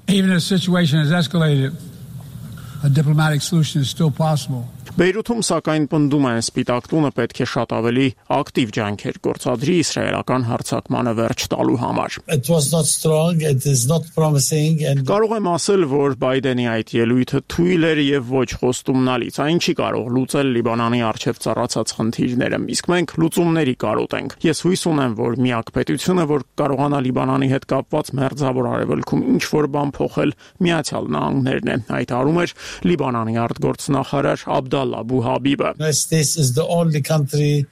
D: A diplomatic solution is still possible.
B: Բեյրութում սակայն պնդում են Սպիտակ տունը պետք է շատ ավելի ակտիվ ջանքեր գործադրի իսրայելական հարձակմանը վերջ տալու համար։
D: It was not strong, it is not promising and
B: Կարող եմ ասել, որ Բայդենի այդ ելույթը թույլ էր եւ ոչ խոստումնալից։ Այն չի կարող լուծել Լիբանանի առջև ծառացած խնդիրները, իսկ մենք լուծումների կարոտ ենք։ Ես հույս ունեմ, որ միակ պետությունը, որ կարողանա Լիբանանի հետ կապված մերձավոր արևելքում ինչ որ բան փոխել, Միացյալ Նահանգներն են, հայտարարում էր Լիբանանի արտգործնախարար Abdallah Abu Habib.
D: This is the only country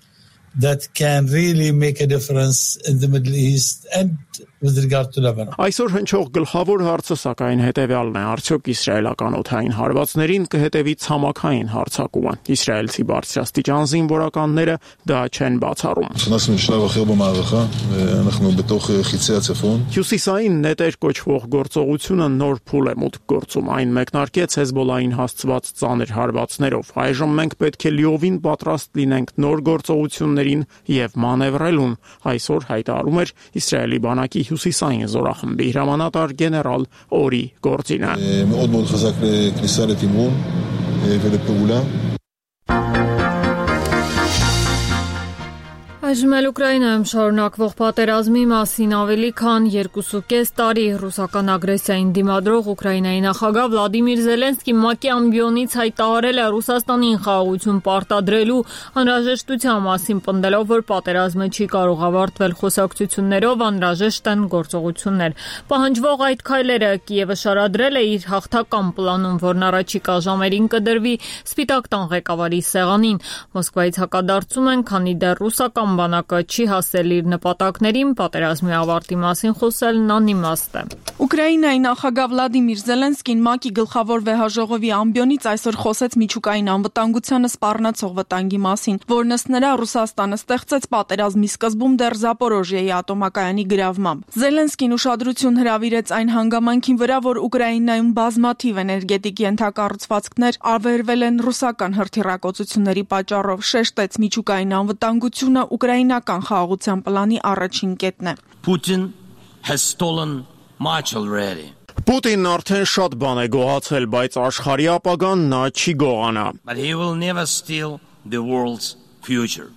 D: that can really make a difference in the Middle East and with regard to Lebanon.
B: Այսօր հնչող գլխավոր հարցը սակայն հետևյալն է. արդյոք իսրայելական օդային հարվածներին կհետևի ցամաքային հարձակումը։ Իսրայելցի բարձրաստիճան զինվորականները դա չեն բացառում։ Հյուսիսային նետեր կոչվող գործողությունը նոր փուլ է մուտք գործում։ Այն մեկնարկեց Հեզբոլային հասցված ծանր հարվածներով։ Այժմ մենք պետք է լիովին պատրաստ լինենք նոր գործողությունների պայմաններին եւ մանևրելուն, այսօր հայտարարում էր Իսրայելի բանակի հյուսիսային զորախմբի հրամանատար գեներալ Օրի Գորձինը։
E: מאוד מאוד חזק לכניסה לתמרון ולפעולה.
A: Այժմ էլ Ուկրաինայում շարունակվող պատերազմի մասին ավելի քան երկուսուկես տարի ռուսական ագրեսիային դիմադրող Ուկրաինայի նախագահ Վլադիմիր Զելենսկին ՄԱԿ-ի ամբիոնից հայտարարել է Ռուսաստանին խաղաղություն պարտադրելու անհրաժեշտության մասին, պնդելով, որ պատերազմը չի կարող ավարտվել խոսակցություններով, անհրաժեշտ են գործողություններ։ Պահանջվող այդ քայլերը Կիևը շարադրել է իր հաղթական պլանում, որն առաջիկա ժամերին կդրվի Սպիտակ տան ղեկավարի սեղանին։ Մոսկվայից հակադարձում են, քանի դեռ ռուսական բանակը չի հասել իր նպատակներին, պատերազմի ավարտի մասին խոսելն անիմաստ է։
F: Ուկրաինայի նախագահ Վլադիմիր Զելենսկին ՄԱԿ-ի գլխավոր վեհաժողովի ամբիոնից այսօր խոսեց միջուկային անվտանգությանը սպառնացող վտանգի մասին, որն ըստ նրա Ռուսաստանը ստեղծեց պատերազմի սկզբում դեռ Զապորոժիեի ատոմակայանի գրավմամբ։ Զելենսկին ուշադրություն հրավիրեց այն հանգամանքին վրա, որ Ուկրաինայում բազմաթիվ էներգետիկ ենթակառուցվածքներ ավերվել են ռուսական հրթիռակոծությունների պատճառով, շեշտեց միջուկային անվտանգությունը ուկրաինական խաղաղության պլանի առաջին կետն է։
I: Putin has stolen much already.
B: Պուտինն արդեն շատ բան է գողացել, բայց աշխարհի ապագան նա չի գողանա։
I: But he will never steal the world's future.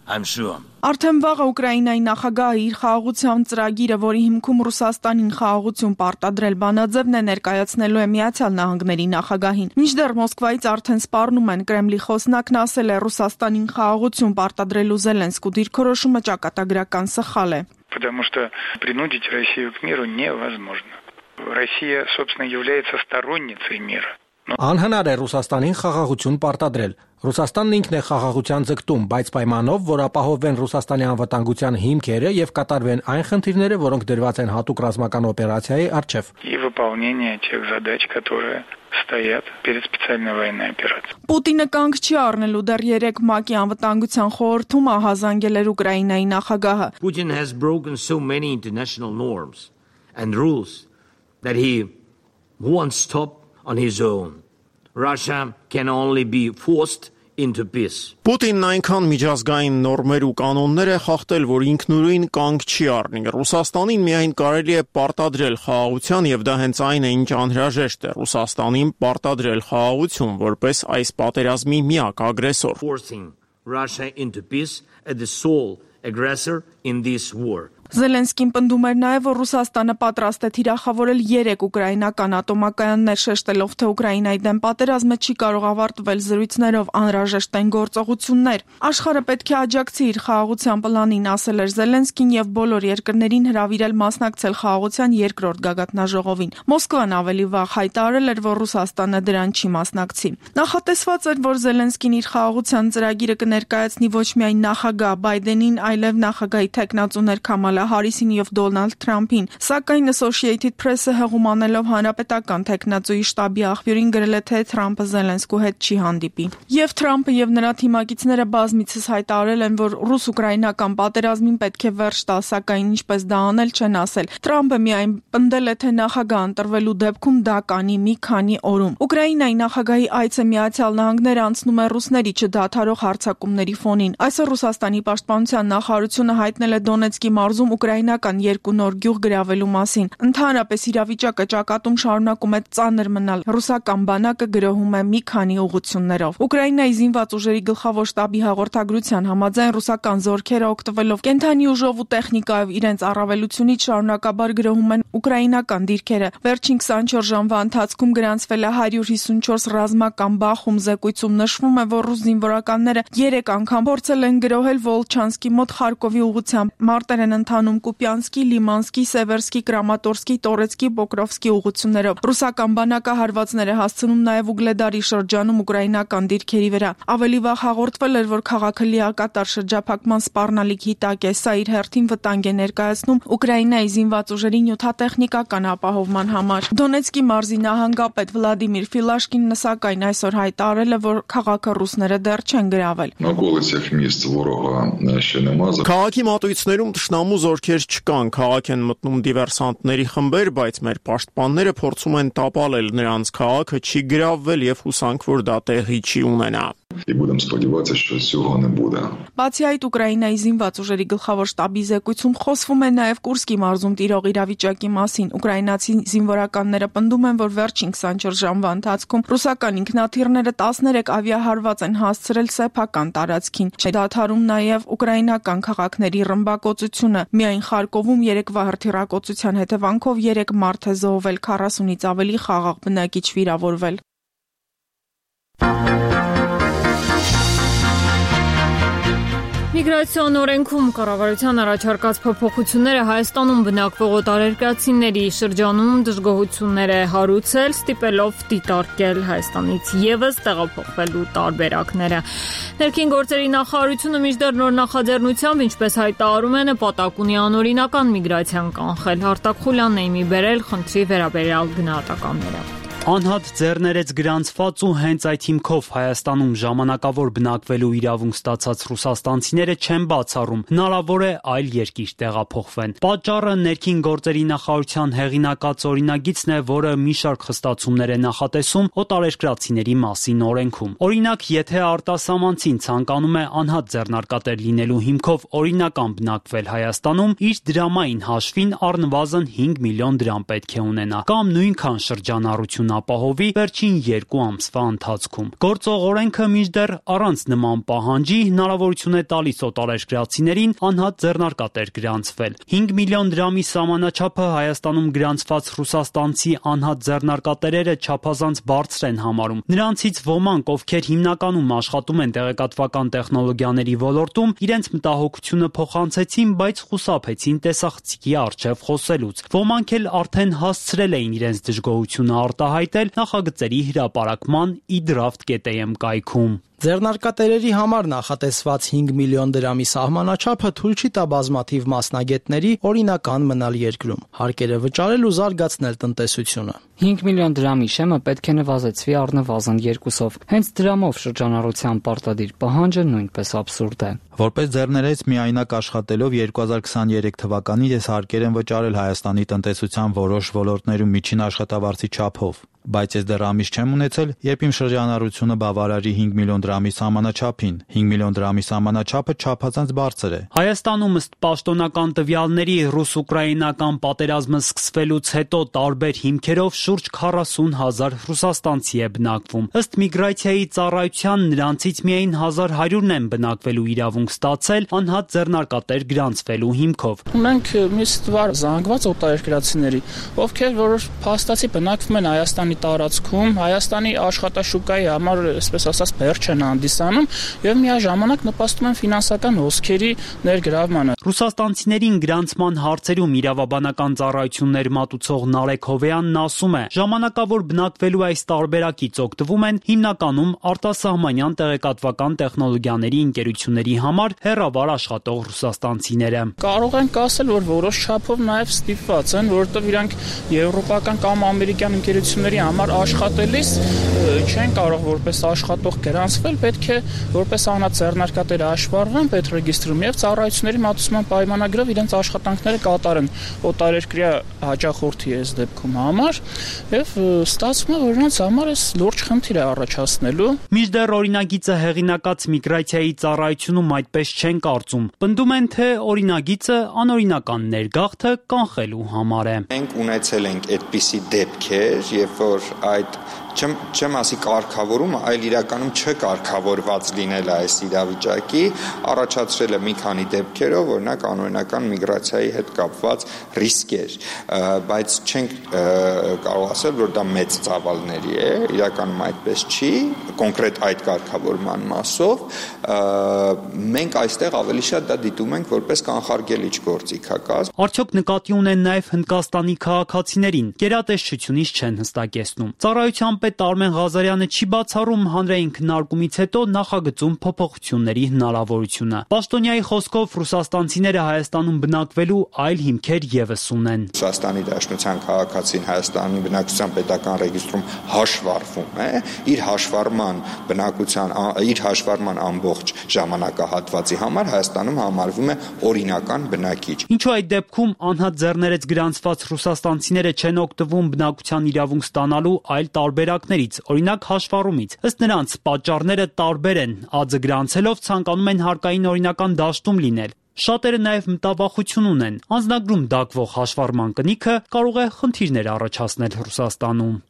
I: I'm sure.
F: Արդեն վաղը Ուկրաինայի նախագահը իր խաղաղության ծրագիրը, որի հիմքում Ռուսաստանին խաղաղություն պարտադրել բանաձևն է, ներկայացնելու է Միացյալ Նահանգների նախագահին։ Մինչդեռ Մոսկվայից արդեն սպառնում են, Կրեմլի խոսնակն ասել է Ռուսաստանին խաղաղություն պարտադրելու Զելենսկու դիրքորոշումը ճակատագրական սխալ է։
X: Потому что принудить Россию к миру невозможно. Россия, собственно, является сторонницей мира.
Y: Անհնար է Ռուսաստանին խաղաղություն պարտադրել։ Ռուսաստանն ինքն է խաղաղության ձգտում, բայց պայմանով, որ ապահովեն Ռուսաստանի անվտանգության հիմքերը եւ կատարվեն այն խնդիրները, որոնք դրված են հատուկ ռազմական օպերացիայի առջև։
X: И выполнение тех задач, которые стоят перед специальной военной операцией.
F: Պուտինը կանգ չի առնելու դեռ երեք ՄԱԿ-ի անվտանգության խորհրդում ահազանգել էր Ուկրաինայի նախագահը։
I: Putin has broken so many international norms and rules that he won't stop on his own. Russia can only be forced into peace.
B: Պուտինն այնքան միջազգային նորմեր ու կանոններ է խախտել, որ ինքնուրույն կանգ չի առնի։ Ռուսաստանին միայն կարելի է պարտադրել խաղաղության, եւ դա հենց այն է, ինչ անհրաժեշտ է Ռուսաստանին պարտադրել խաղաղություն, որպես այս պատերազմի միակ ագրեսոր։
I: Forcing Russia into peace as the sole aggressor in this war.
F: Զելենսկին պնդում էր նաև, որ Ռուսաստանը պատրաստ է թիրախավորել երեք ուկրաինական ատոմակայաններ, շեշտելով, թե Ուկրաինայի դեմ պատերազմը չի կարող ավարտվել զրույցներով, անհրաժեշտ են գործողություններ։ Աշխարհը պետք է աջակցի իր խաղաղության պլանին, ասել էր Զելենսկին եւ բոլոր երկրներին հրավիրել մասնակցել խաղաղության երկրորդ գագաթնաժողովին։ Մոսկվան ավելի վաղ հայտարարել էր, որ Ռուսաստանը դրան չի մասնակցի։ Նախատեսված էր, որ Զելենսկին իր խաղաղության ծրագիրը կներկայացնի ոչ միայն նախագահ Բայդենին, այլև նախագահի թեկնածուներ Քամալա Հարիսին եւ Դոնալդ Թրամփին, սակայն Associated Press-ը հեղում անելով հանրապետական թեկնածուի շտաբի աղբյուրին գրել է, թե Թրամփը Զելենսկու հետ չի հանդիպի։ Եվ Թրամփը եւ նրա թիմակիցները բազմիցս հայտարարել են, որ ռուս-ուկրաինական պատերազմին պետք է վերջ տալ, սակայն ինչպես դա անել չեն ասել։ Թրամփը միայն պնդել է, թե նախագահ ընտրվելու դեպքում դա կանի մի քանի օրում։ Ուկրաինայի նախագահի այցը Միացյալ Նահանգներ անցնում է ռուսների չդադարող հարձակումների ֆոնին։ Այսօր Ռուսաստանի պաշտպանության նախարարությունը հայտնել է Դոնեցկի մարզում ուկրաինական երկու նոր գյուղ գրավելու մասին։ Ընդհանրապես իրավիճակը ճակատում շարունակում է ծանր մնալ։ Ռուսական բանակը գրոհում է մի քանի ուղղություններով։ Ուկրաինայի զինված ուժերի գլխավոր շտաբի հաղորդագրության համաձայն ռուսական զորքերը օգտվելով կենթանի ուժով ու տեխնիկայով իրենց առավելությունից շարունակաբար գրոհում են ուկրաինական դիրքերը։ Վերջին քսանչորս ժամվա ընթացքում գրանցվել է հարյուր հիսունչորս ռազմական բախում։ Զեկույցում նշվում է, որ ռուս զինվորականները երեք անգամ փորձել են գրոհել Վոլչանսկի մոտ Խարկովի ուղղությամբ։ Մարտեր են ընթանում Կուպյանսկի, Լիմանսկի, Սևերսկի, Կրամատորսկի, Տորեցկի, Պոկրովսկի ուղղություններով։ Ռուսական բանակը հարվածներ է հասցնում նաև Ուգլեդարի շրջանում ուկրաինական դիրքերի վրա։ Ավելի վաղ հաղորդվել էր, որ քաղաքը լիակատար շրջափակման սպառնալիքի տակ է։ Սա իր հերթին վտանգ է ներկայացնում Ուկրաինայի զինված ուժերի նյութատեխնիկական ապահովման համար։ Դոնեցկի մարզի նահանգապետ Վլադիմիր Ֆիլաշկինն սակայն այսօր հայտարարել է, որ քաղաքը ռուսները դեռ չեն գրավել։
B: Քաղաքի մատույցներում թշնամու զորքեր չկան, քաղաք են մտնում դիվերսանտների խմբեր, բայց մեր պաշտպանները փորձում են տապալել նրանց, քաղաքը չի գրավվել եւ հուսանք, որ դա տեղի չի ունենա։
G: И будем сподіватися, що цього не буде.
F: Բացի այդ, Ուկրաինայի զինված ուժերի գլխավոր շտաբի զեկույցում խոսվում է նաև Կուրսկի մարզում տիրող իրավիճակի մասին։ Ուկրաինացի զինվորականները պնդում են, որ վերջին քսանչորս ժամվա ընթացքում ռուսական ինքնաթիռները տասներեք ավիահարված են հասցրել սեփական տարածքին։ Չդադարում նաև ուկրաինական քաղաքների ռմբակոծությունը։ Միայն Խարկովում երեկվա հրթիռակոծության հետևանքով երեք մարդ է զոհվել, քառասունից ավելի խաղաղ բնակիչ վիրավորվել։
A: Միգրացիոն օրենքում կառավարության առաջարկած փոփոխությունները Հայաստանում բնակվող օտարերկրացիների շրջանում դժգոհություններ է հարուցել, ստիպելով դիտարկել Հայաստանից ևս տեղափոխվելու տարբերակները։ Ներքին գործերի նախարարությունը մինչդեռ նոր նախաձեռնությամբ, ինչպես հայտարարում է, նպատակ ունի անօրինական միգրացիան կանխել։ Արտակ Խուլյանն է մի բերել խնդրի վերաբերյալ գնահատականները։
H: Անհատ ձեռներեց գրանցված ու հենց այդ հիմքով Հայաստանում ժամանակավոր բնակվելու իրավունք ստացած ռուսաստանցիները չեն բացառում, հնարավոր է այլ երկիր տեղափոխվեն։ Պատճառը ներքին գործերի նախարարության հեղինակած օրինագիծն է, որը մի շարք խստացումներ է նախատեսում օտարերկրացիների մասին օրենքում։ Օրինակ, եթե արտասահմանցին ցանկանում է անհատ ձեռնարկատեր լինելու հիմքով օրինական բնակվել Հայաստանում, իր դրամային հաշվին առնվազն հինգ միլիոն դրամ պետք է ունենա, կամ նույնքան շրջանառություն ապահովի վերջին երկու ամսվա ընթացքում։ Գործող օրենքը մինչդեռ առանց նման պահանջի հնարավորություն է տալիս օտարերկրացիներին անհատ ձեռնարկատեր գրանցվել։ հինգ միլիոն դրամի սահմանաչափը Հայաստանում գրանցված ռուսաստանցի անհատ ձեռնարկատերերը չափազանց բարձր են համարում։ Նրանցից ոմանք, ովքեր հիմնականում աշխատում են տեղեկատվական տեխնոլոգիաների ոլորտում, իրենց մտահոգությունը փոխանցեցին, բայց խուսափեցին տեսախցիկի առջև խոսելուց։ Ոմանք էլ արդեն հասցրել էին իրենց դժգոհությունը արտահայտել նախագծերի հրապարակման e-draft.am կայքում։
Y: Ձեռնարկատերերի համար նախատեսված հինգ միլիոն դրամի սահմանաչափը թույլ չի տա բազմաթիվ մասնագետների օրինական մնալ երկրում, հարկերը վճարել ու զարգացնել տնտեսությունը։
J: հինգ միլիոն դրամի շեմը պետք է նվազեցվի առնվազն երկուսով։ Հենց դրամով շրջանառության պարտադիր պահանջը նույնպես աբսուրդ է։
K: Որպես ձեռներեց միայնակ աշխատելով երկու հազար քսաներեք թվականին ես հարկեր եմ վճարել Հայաստանի տնտեսության որոշ ոլորտներում միջին աշխատավարձի չափով, բայց ես դեռ ամիս չեմ ունեցել, երբ իմ շրջանառությունը բավարարի հինգ միլիոն դրամի սահմանաչափին։ հինգ միլիոն դրամի սահմանաչափը չափազանց բարձր է։
H: Հայաստանում ըստ պաշտոնական տվյալների ռուս-ուկրաինական պատերազմը սկսվելուց հետո տարբեր հիմքերով շուրջ քառասուն հազար ռուսաստանցի է բնակվում։ Ըստ միգրացիայի ծառայության նրանցից միայն հազար հարյուրն են բնակվելու իրավունք ստացել անհատ ձեռնարկատեր գրանցվելու հիմքով։
N: Մենք մի ստվար զանգված օտարերկրացիների, ովքեր որ փաստացի բնակվում են Հայաստանի տարածքում, Հայաստանի աշխատաշուկայի համար, այսպես ասած, բերջ են հանդիսանում եւ միաժամանակ նպաստում են ֆինանսական հոսքերի ներգրավմանը։
H: Ռուսաստանցիներին գրանցման հարցերում իրավաբանական ծառայություններ մատուցող Նարեկ Հովեյանն ասում է, ժամանակավոր բնակվելու այս տարբերակից օգտվում են հիմնականում արտասահմանյան տեղեկատվական տեխնոլոգիաների ընկերությունների համար հեռավար աշխատող ռուսաստանցիները։
N: Կարող ենք ասել, որ որոշ չափով նաեւ ստիպված են, որովհետեւ իրանք եվրոպական կամ ամերիկյան ընկերությունների համար աշխատելիս չեն կարող որպես աշխատող գրանցվել, պետք է որպես անհատ ձեռնարկատեր հաշվառվեն պետրեգիստրում եւ ծառայությունների մատուցման պայմանագրով իրենց աշխատանքները կատարեն օտարերկրյա հաճախորդի այս դեպքում համար եւ ստացվում է, որ նրանց համար էս լուրջ խնդիր է առաջացնելու։
H: Մինչդեռ օրինագիծը հեղինակած միգրացիայի ծառայությունում այդպես չեն կարծում։ Պնդում են, թե օրինագիծը անօրինական ներգաղթը կանխելու համար է։
Z: Մենք ունեցել ենք այդպիսի դեպքեր, երբ որ այդ չեմ չեմ ասի կարգավորումը, այլ իրականում չկարգավորված լինել այս իրավիճակի, առաջացրել է մի քանի դեպքերով, օրինակ անօրինական միգրացիայի հետ կապված ռիսկեր, բայց չենք կարող ասել, որ դա մեծ ծավալների է, իրականում այդպես չի, կոնկրետ այդ կարգավորման մասով, մենք այստեղ ավելի շատ դա դիտում ենք որպես կանխարգելիչ գործիքակազմ։
H: Արդյոք նկատի ունեն նաև Հնդկաստանի քաղաքացիներին, գերատեսչությունից չեն հստակեցնում։ Ծառայության պետ Արմեն Ղազարյանը չի բացառում հանրային քննարկումից հետո նախագծում փոփոխությունների հնարավորությունը։ Պաշտոնյայի խոսքով ռուսաստանցիները Հայաստանում բնակվելու այլ հիմքեր ևս ունեն։
Z: Ռուսաստանի Դաշնության քաղաքացին Հայաստանի բնակչության պետական ռեգիստրում հաշվառվում է, իր հաշվառման բնակության իր հաշվառման ամբողջ ժամանակահատվածի համար Հայաստանում համարվում է օրինական բնակիչ։
H: Ինչու այդ դեպքում անհատ ձեռներեց գրանցված ռուսաստանցիները չեն օգտվում բնակության իրավունք ստանալու այլ տարբեր տարբերակներից, օրինակ հաշվառումից։ Ըստ նրանց պատճառները տարբեր են, ածը գրանցելով ցանկանում են հարկային օրինական դաշտում լինել։ Շատերը նաև մտավախություն ունեն։ Անձնագրում դակվող հաշվառման կնիքը կարող է խնդիրներ առաջացնել Ռուսաստանում։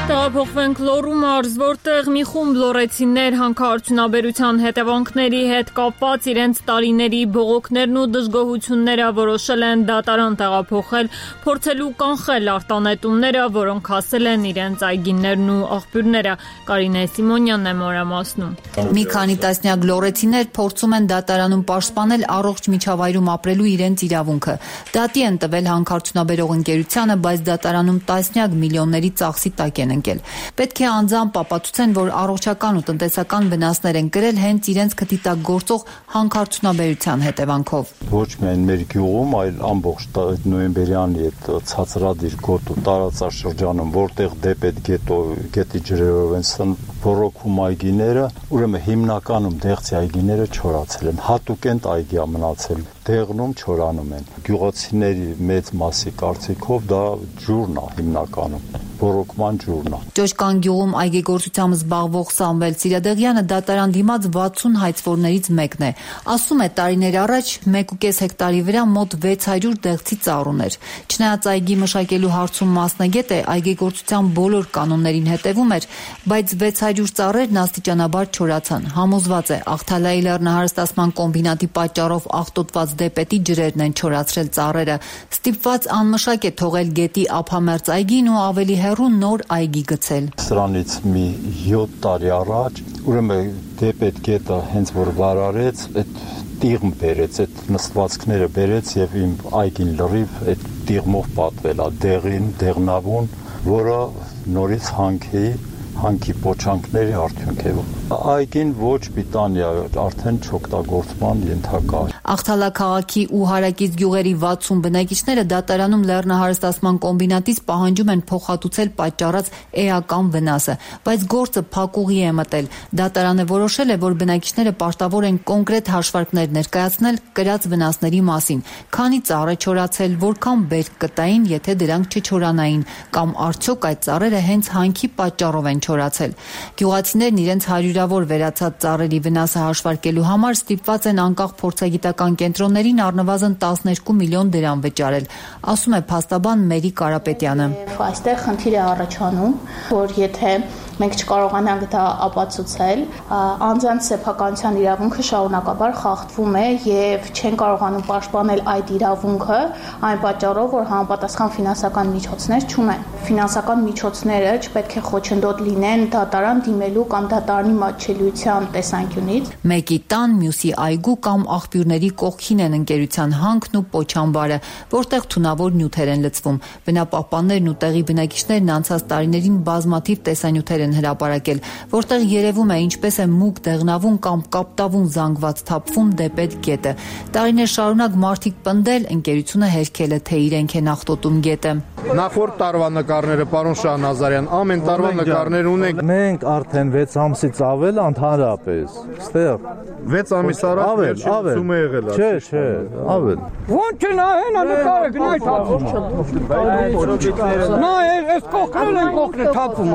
A: Տեղափոխվենք Լոռու մարզ, որտեղ մի խումբ լոռեցիներ հանքարդյունաբերության հետևանքների հետ կապված իրենց տարիների բողոքներն ու դժգոհությունները որոշել են դատարան տեղափոխել, փորձելու կանխել արտանետումները, որոնք հասել են իրենց այգիներն ու աղբյուրները։ Կարինե Սիմոնյանն է մանրամասնում։
C: Մի քանի տասնյակ լոռեցիներ փորձում են դատարանում պաշտպանել առողջ միջավայրում ապրելու իրենց իրավունքը։ Դատի են տվել հանքարդյունաբերող ընկերությանը, բայց դատարանում տասնյակ միլիոնների ծախսի տակ են ընկել։ Պետք է անձամբ ապացուցեն, որ առողջական ու տնտեսական վնասներ են կրել հենց իրենց քթի տակ գործող հանքարդյունաբերության հետևանքով։
L: Ոչ միայն մեր գյուղում, այլ ամբողջ նոյեմբերյանի այդ ցածրադիր գոտու տարածաշրջանում, որտեղ դեպետ գետո գետի ջրերով են բորոքում այգիները, ուրեմն հիմնականում դեղցի այգիները չորացել են, հատուկենտ այգի մնացել, դեղնում չորանում են։ Գյուղացիների մեծ մասի կարծիքով դա ջուրն է հիմնականում, բորոքման ջուրն է։
C: Ճոճկան գյուղում այգեգործությամբ զբաղվող Սամվել Սիրադեղյանը դատարան դիմաց վաթսուն հայցվորներից մեկն է։ Ասում է, տարիներ առաջ մեկ ու կես հեկտարի վրա մոտ վեց հարյուր դեղցի ծառ ուներ։ Չնայած այգի մշակելու հարցում մասնագետ է, այգեգործության բոլոր կանոններին հետևում էր, բայց վեց հարյուր ծառերն աստիճանաբար չորացան։ Համոզված է, Աղթալայի լեռնահարստացման կոմբինատի պատճառով աղտոտված դեպետի ջրերն են չորացրել ծառերը։ Ստիպված անմշակ է թողել գետի ափամերձ այգին ու ավելի հեռու նոր այգի գցել։
L: Սրանից մի յոթ տարի առաջ, ուրեմն դեպետ գետը հենց որ վարարեց, այդ տիղմ բերեց, այդ նստվածքները բերեց եւ իմ այգին լրիվ այդ տիղմով պատվել է, դեղին, դեղնավուն, որը նորից հանքի հանքի փոչանքների արդյունք է։ Այգին ոչ պիտանի է, արդեն չօգտագործման ենթակա է։
C: Աղթալա քաղաքի ու հարակից գյուղերի վաթսուն բնակիչները դատարանում լեռնահարստացման կոմբինատից պահանջում են փոխհատուցել պատճառած էական վնասը, բայց գործը փակուղի է մտել։ Դատարանը որոշել է, որ բնակիչները պարտավոր են կոնկրետ հաշվարկներ ներկայացնել կրած վնասների մասին, քանի ծառ է չորացել, որքան բերք կտային, եթե դրանք չչորանային, կամ արդյոք այդ ծառերը հենց հանքի պատճառով են չորացել։ Գյուղացիներն իրենց հարյուրավոր վերացած ծառերի վնասը հաշվարկելու համար ստիպված են անկախ փորձագիտական կենտրոններին առնվազն տասներկու միլիոն դրամ վճարել, ասում է փաստաբան Մերի Կարապետյանը։
M: Այստեղ խնդիր է առաջանում, որ եթե մենք չկարողանանք դա ապացուցել, անձանց սեփականության իրավունքը շարունակաբար խախտվում է եւ չեն կարողանում պաշտպանել այդ իրավունքը այն պատճառով, որ համապատասխան ֆինանսական միջոցներ չունեն։ Ֆինանսական միջոցները չպետք է խոչընդոտ լինեն դատարան դիմելու կամ դատարանի մատչելիության տեսանկյունից։
C: Մեկի տան, մյուսի այգու կամ աղբյուրների կողքին են ընկերության հանքն ու պոչամբարը, որտեղ թունավոր նյութեր են լցվում։ Բնապահպաններն ու տեղի բնակիչներն անցած տարիներին բազմաթիվ տեսանյութեր են հրապարակել, որտեղ երևում է ինչպես է մուգ դեղնավուն կամ կապտավուն զանգված թափվում դեպետ գետը։ Տարիներ շարունակ մարդիկ պնդել, ընկերությունը հերքել է, թե իրենք են աղտոտում գետը։
O: Նախորդ տարվա նկարները, պարոն Շահնազարյան, ամեն տարվա նկարներ ունենք։
P: Մենք արդեն վեց ամսից ավել ընդհանրապես, ստեղ
O: վեց ամիս առաջ վերջում է եղել։
P: Չէ, չէ, ավել։
Q: Ոնց նա հենա նկարը գնայ թափում։ Նա այս կողքն են կողքն թափում։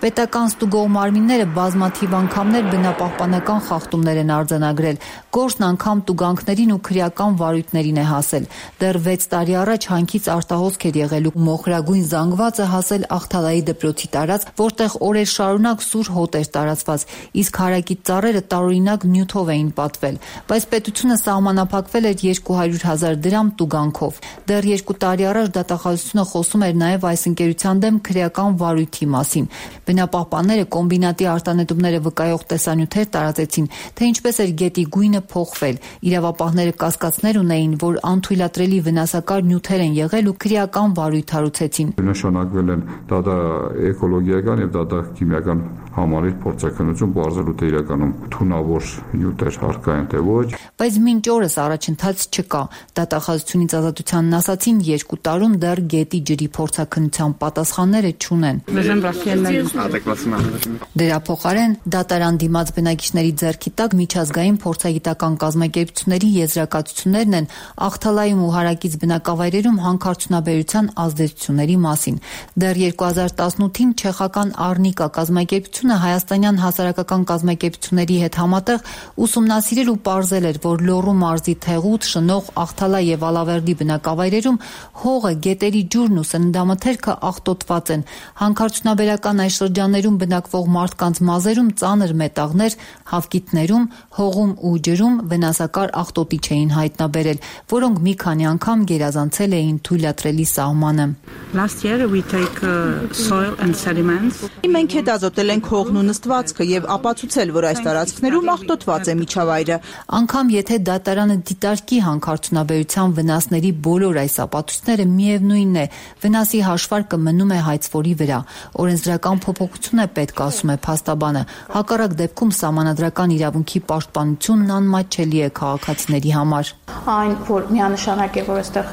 C: Պետական ստուգող մարմինները բազմաթիվ անգամներ բնապահպանական խախտումներ են արձանագրել, գործն անգամ տուգանքներին ու քրեական վարույթներին է հասել։ Դեռ վեց տարի առաջ հանքից արտահոսք էր եղել ու մոխրագույն զանգվածը հասել Աղթալայի դպրոցի տարածք, որտեղ օրեր շարունակ սուր հոտ էր տարածված, իսկ հարակից ծառերը տարօրինակ նյութով էին պատվել, բայց պետությունը սահմանափակվել էր երկու հարյուր հազար դրամ տուգանքով։ Դեռ երկու տարի առաջ դատախազությունը խոսում էր նաև այս ընկերության դեմ քրեական վարույթի մասին։ Բնապահպանները կոմբինատի արտանետումները վկայող տեսանյութեր տարածեցին, թե ինչպես էր գետի գույնը փոխվել։ Իրավապահները կասկածներ ունեին, որ անթույլատրելի վնասակար նյութեր են եղել ու քրեական վարույթ հարուցեցին։
W: Նշանակվել են դատա էկոլոգիական եւ դատա քիմիական համալիր փորձաքննություն, բարձրալու թե իրականում թունավոր նյութեր հարկային թե ոչ։
C: Բայց մինչ օրս առաջընթաց չկա։ Դատախազությունից ազատությանն ասացին երկու տարում դեռ գետի ջրի փորձաքննության պատասխանները չունեն։ Դրա փոխարեն դատարան դիմաց բնակիչների ձեռքի տակ միջազգային փորձագիտական կազմակերպությունների եզրակացություններն են Ախթալայում ու հարակից բնակավայրերում հանքարդյունաբերության ազդեցությունների մասին։ Դեռ երկու հազար տասնութին չեխական Արնիկա կազմակերպությունը հայաստանյան հասարակական կազմակերպությունների հետ համատեղ ուսումնասիրել ու պարզել էր, որ Լոռու մարզի Թեղուտ, Շնող, Ախթալա եւ Ալավերդի բնակավայրերում հողը, գետերի ջուրն ու սննդամթերքը աղտոտված են։ Հանքարդյունաբերական այս շրջաններում բնակվող մարդկանց մազերում ծանր մետաղներ, հավկիթներում, հողում ու ջրում վնասակար աղտոտիչ էին հայտնաբերել, որոնք մի քանի անգամ գերազանցել էին թույլատրելի սահմանը։
D: Last year we take uh, soil and sediments.
R: Մենք հետազոտել ենք հողն ու նստվածքը եւ ապացուցել, որ այս տարածքներում աղտոտված է միջավայրը։
C: Անկամ եթե դատարանը դիտարկի հանքարդյունաբերության վնասների բոլոր այս ապացույցները, միևնույնն է, վնասի հաշվարկը մնում է հայցվորի վրա։ Օրենսդրական փոփոխություն է պետք, ասում է փաստաբանը։ Հակառակ դեպքում սահմանադրական իրավունքի պաշտպանությունն անմատչելի է քաղաքացիների համար։
M: Այն, որ միանշանակ է, որ այստեղ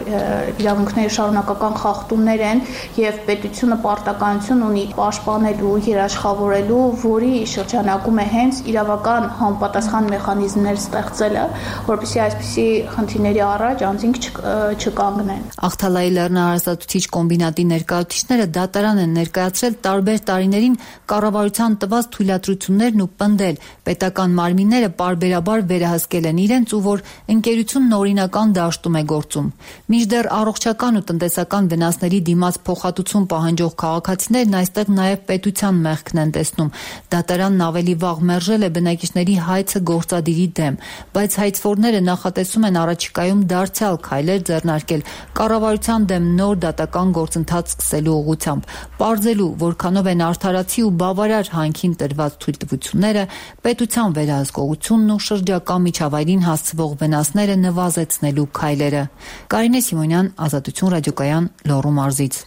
M: իրավունքների շարունակական խախտումներ են եւ պետությունը պարտականություն ունի պաշտպանելու, երաշխավորելու, որի շրջանակում է հենց իրավական համապատասխան մեխանիզմներ ստեղծելը, որպեսզի այսպիսի խնդիրների առաջ անձինք չկանգնեն։
C: Ախթալայի լեռնահարսատուցիչ կոմբինատի ներկայացուցիչները դատարան են ներկայացրել տարբեր տարիներին կառավարության տված թույլատրություններն ու պնդել, պետական մարմինները պարբերաբար վերահսկել են իրենց ու որ ընկերությունն օրինական դաշտում է գործում։ Մինչդեռ առողջական ու տնտեսական վնասների դիմաց փոխհատուցում պահանջող քաղաքացիներն այստեղ նաև պետության մեղքն են տեսնում։ Դատարանն ավելի վաղ մերժել է բնակիչների հայցը գործադիրի դեմ, բայց հայցվորները նախատեսում են առաջիկայում դարձյալ քայլեր ձեռնարկել կառավարության դեմ նոր դատական գործընթաց սկսելու ուղղությամբ, պարզելու, որքանով են արդարացի ու բավարար հանքին տրված թույլտվությունները, պետության վերահսկողությունն ու շրջակա միջավայրին հասցվող վնասները նվազեցնելու քայլերը։ Կարինե Սիմոնյան, Ազատություն ռադիոկայան, Լոռու մարզից։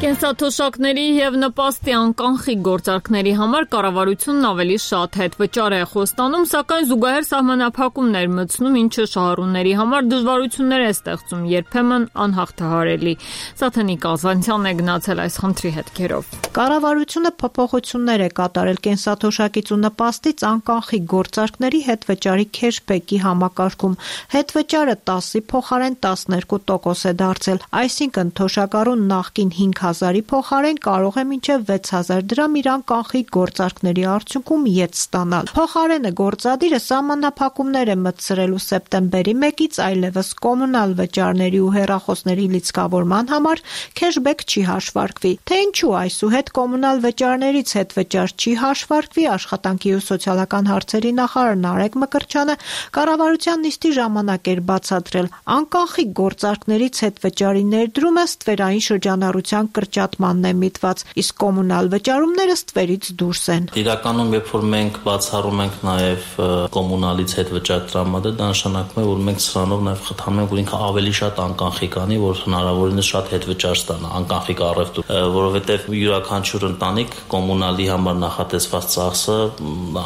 A: Կենսաթոշակների եւ նպաստի անկանխիկ գործարքների համար կառավարությունն ավելի շատ հետվճար է խոստանում, սակայն զուգահեռ սահմանափակումներ մտցնում, ինչը շահառուների համար դժվարություններ է ստեղծում, երբեմն անհաղթահարելի։ Սաթենիկ Ազանցյանն է գնացել այս խնդրի հետքերով։
S: Կառավարությունը փոփոխություններ է կատարել կենսաթոշակից ու նպաստից անկանխիկ գործարքների հետվճարի քեշբեքի համակարգում։ Հետվճարը տասի փոխարեն տասներկու տոկոս է դարձել, այսինքն թոշակառուն նախկին հինգ հազարի փոխարեն կարող է մինչև վեց հազար դրամ իր անկանխիկ գործարքների արդյունքում ետ ստանալ։ Փոխարենը գործադիրը սահմանափակումներ է մտցրել ու սեպտեմբերի մեկից այլևս կոմունալ վճարների ու հեռախոսների լիցքավորման համար քեշբեք չի հաշվարկվի։ Թե ինչու այսուհետ կոմունալ վճարներից հետվճար չի հաշվարկվի, աշխատանքի ու սոցիալական հարցերի նախարար Նարեկ Մկրտչյանը կառավարության նիստի ժամանակ էր բացատրել, անկանխիկ գործարքներից հետվճարի ներդրումը ստվերային շրջանառության կրճատմանն է միտված, իսկ կոմունալ վճարումները ստվերից դուրս են։
T: Իրականում, երբ որ մենք բացառում ենք նաև կոմունալից հետվճար տրամադրել, դա նշանակում է, որ մենք սրանով նաև խթանում ենք, որ ինքը ավելի շատ անկանխիկ անի, որ հնարավորինս շատ հետվճար ստանա, անկանխիկ առևտուր, որովհետև յուրաքանչյուր ընտանիք կոմունալի համար նախատեսված ծախսը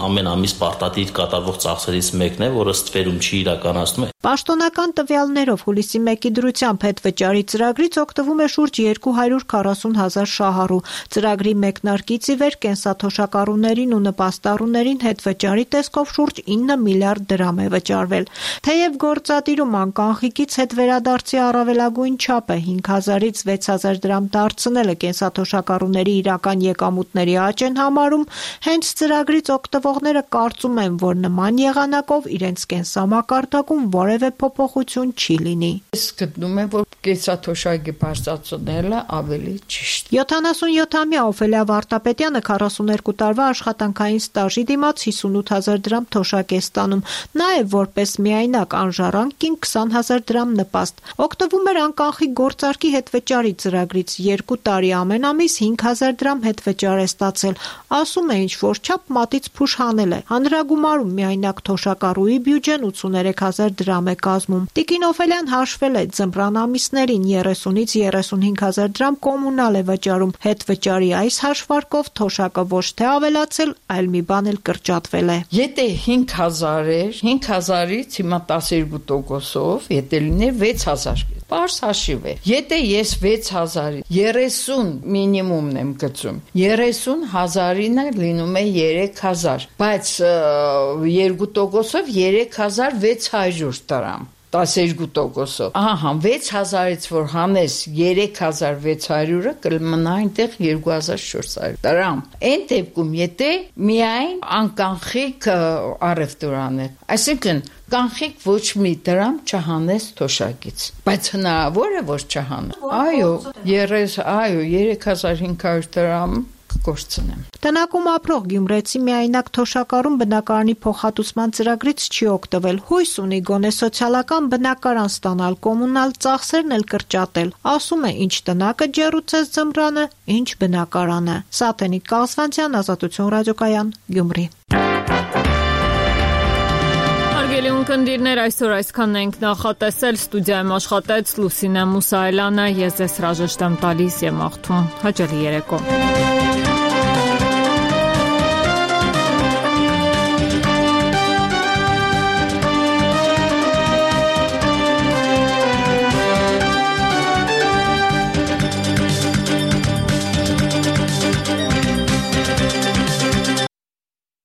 T: ամեն ամիս պարտադիր կատարվող ծախսերից մեկն է, որը ստվերում չի իրականացնում։
S: Պաշտոնական տվյալներով հուլիսի մեկի դրությամբ հետվճարի ծրագրից օգտվում է շուրջ երկու հարյուր քառասուն հազար շահառու։ Ծրագրի մեկնարկից ի վեր կենսաթոշակառուներին ու նպաստառուներին հետվճարի տեսքով շուրջ ինը միլիարդ դրամ է վճարվել։ Թեև գործադիրում անկանխիկից հետ վերադարձի առավելագույն չափը հինգ հազարից վեց հազար դրամ դարձնելը կենսաթոշակառուների իրական եկամուտների աճ են համարում, հենց ծրագրից օգտվողները կարծում են, որ նման եղանակով իրենց կենսամակարդակում որևէ փոփոխություն չի լինի։
U: Ես գտնում եմ, որ կենսաթոշակի բարձրացնելը ավելի ճիշտ։
S: յոթանասունյոթամյա Օֆելիա Վարդապետյանը քառասուներկու տարվա աշխատանքային ստաժի դիմաց հիսունութ հազար դրամ թոշակ է ստանում, նաև որպես միայնակ անժառանգ կին քսան հազար դրամ նպաստ։ Օգտվում էր անկանխիկ գործարքի հետվճարի ծրագրից, երկու տարի ամեն ամիս հինգ հազար դրամ հետվճար է ստացել։ Ասում է, ինչ որ չափ մատից փուշ հանել է։ Հանրագումարում միայնակ թոշակառուի բյուջեն ութսուներեք հազար դրամ է կազմում։ Տիկին Օֆելյան հաշվել է ձմռան ամիսներին երեսունից երեսունհինգ հազար դրամ կոմունալ է վճարում։ Հետվճարի այս հաշվարկով թոշակը ոչ թե ավելացել, այլ մի բան էլ կրճատվել է։
U: Եթե հինգ հազար էր, հինգ հազարից հիմա տասներկու տոկոսով, եթե լիներ վեց հազար Պարզ հաշիվ է։ Եթե ես վեց հազար երեսուն մինիմումն եմ գծում, երեսուն հազարինը լինում է երեք հազար, բայց երկու տոկոսով երեք հազար վեց հարյուր դրամ։ տասներկու տոկոսով։ Ահա, վեց հազարից որ հանես երեք հազար վեց հարյուրը կմնա այնտեղ երկու հազար չորս հարյուր դրամ։ Այն դեպքում եթե միայն անկանխիկ առևտուրան է, այսինքն կանխիկ ոչ մի դրամ չհանես թոշակից, բայց հնարավոր է որ չհանես։ Այո, երես, այո, երեք հազար հինգ հարյուր դրամ կորցնեմ։
S: Տնակում ապրող գյումրեցի միայնակ թոշակառուն բնակարանի փոխհատուցման ծրագրից չի օգտվել։ Հույս ունի գոնե սոցիալական բնակարան ստանալ, կոմունալ ծախսերն էլ կրճատել։ Ասում է, ինչ տնակը ջեռուցեց ձմռանը, ինչ բնակարանը։ Սաթենիկ Կալսվանցյան, Ազատություն ռադիոկայան, Գյումրի։
A: Հարգելի ունկնդիրներ, այսօր այսքանն ենք նախատեսել, ստուդիայում աշխատեց Լուսինե Մուսայելյանը, ես ձեզ հրաժեշտ եմ տալիս եւ մաղթում հաճելի երեկո։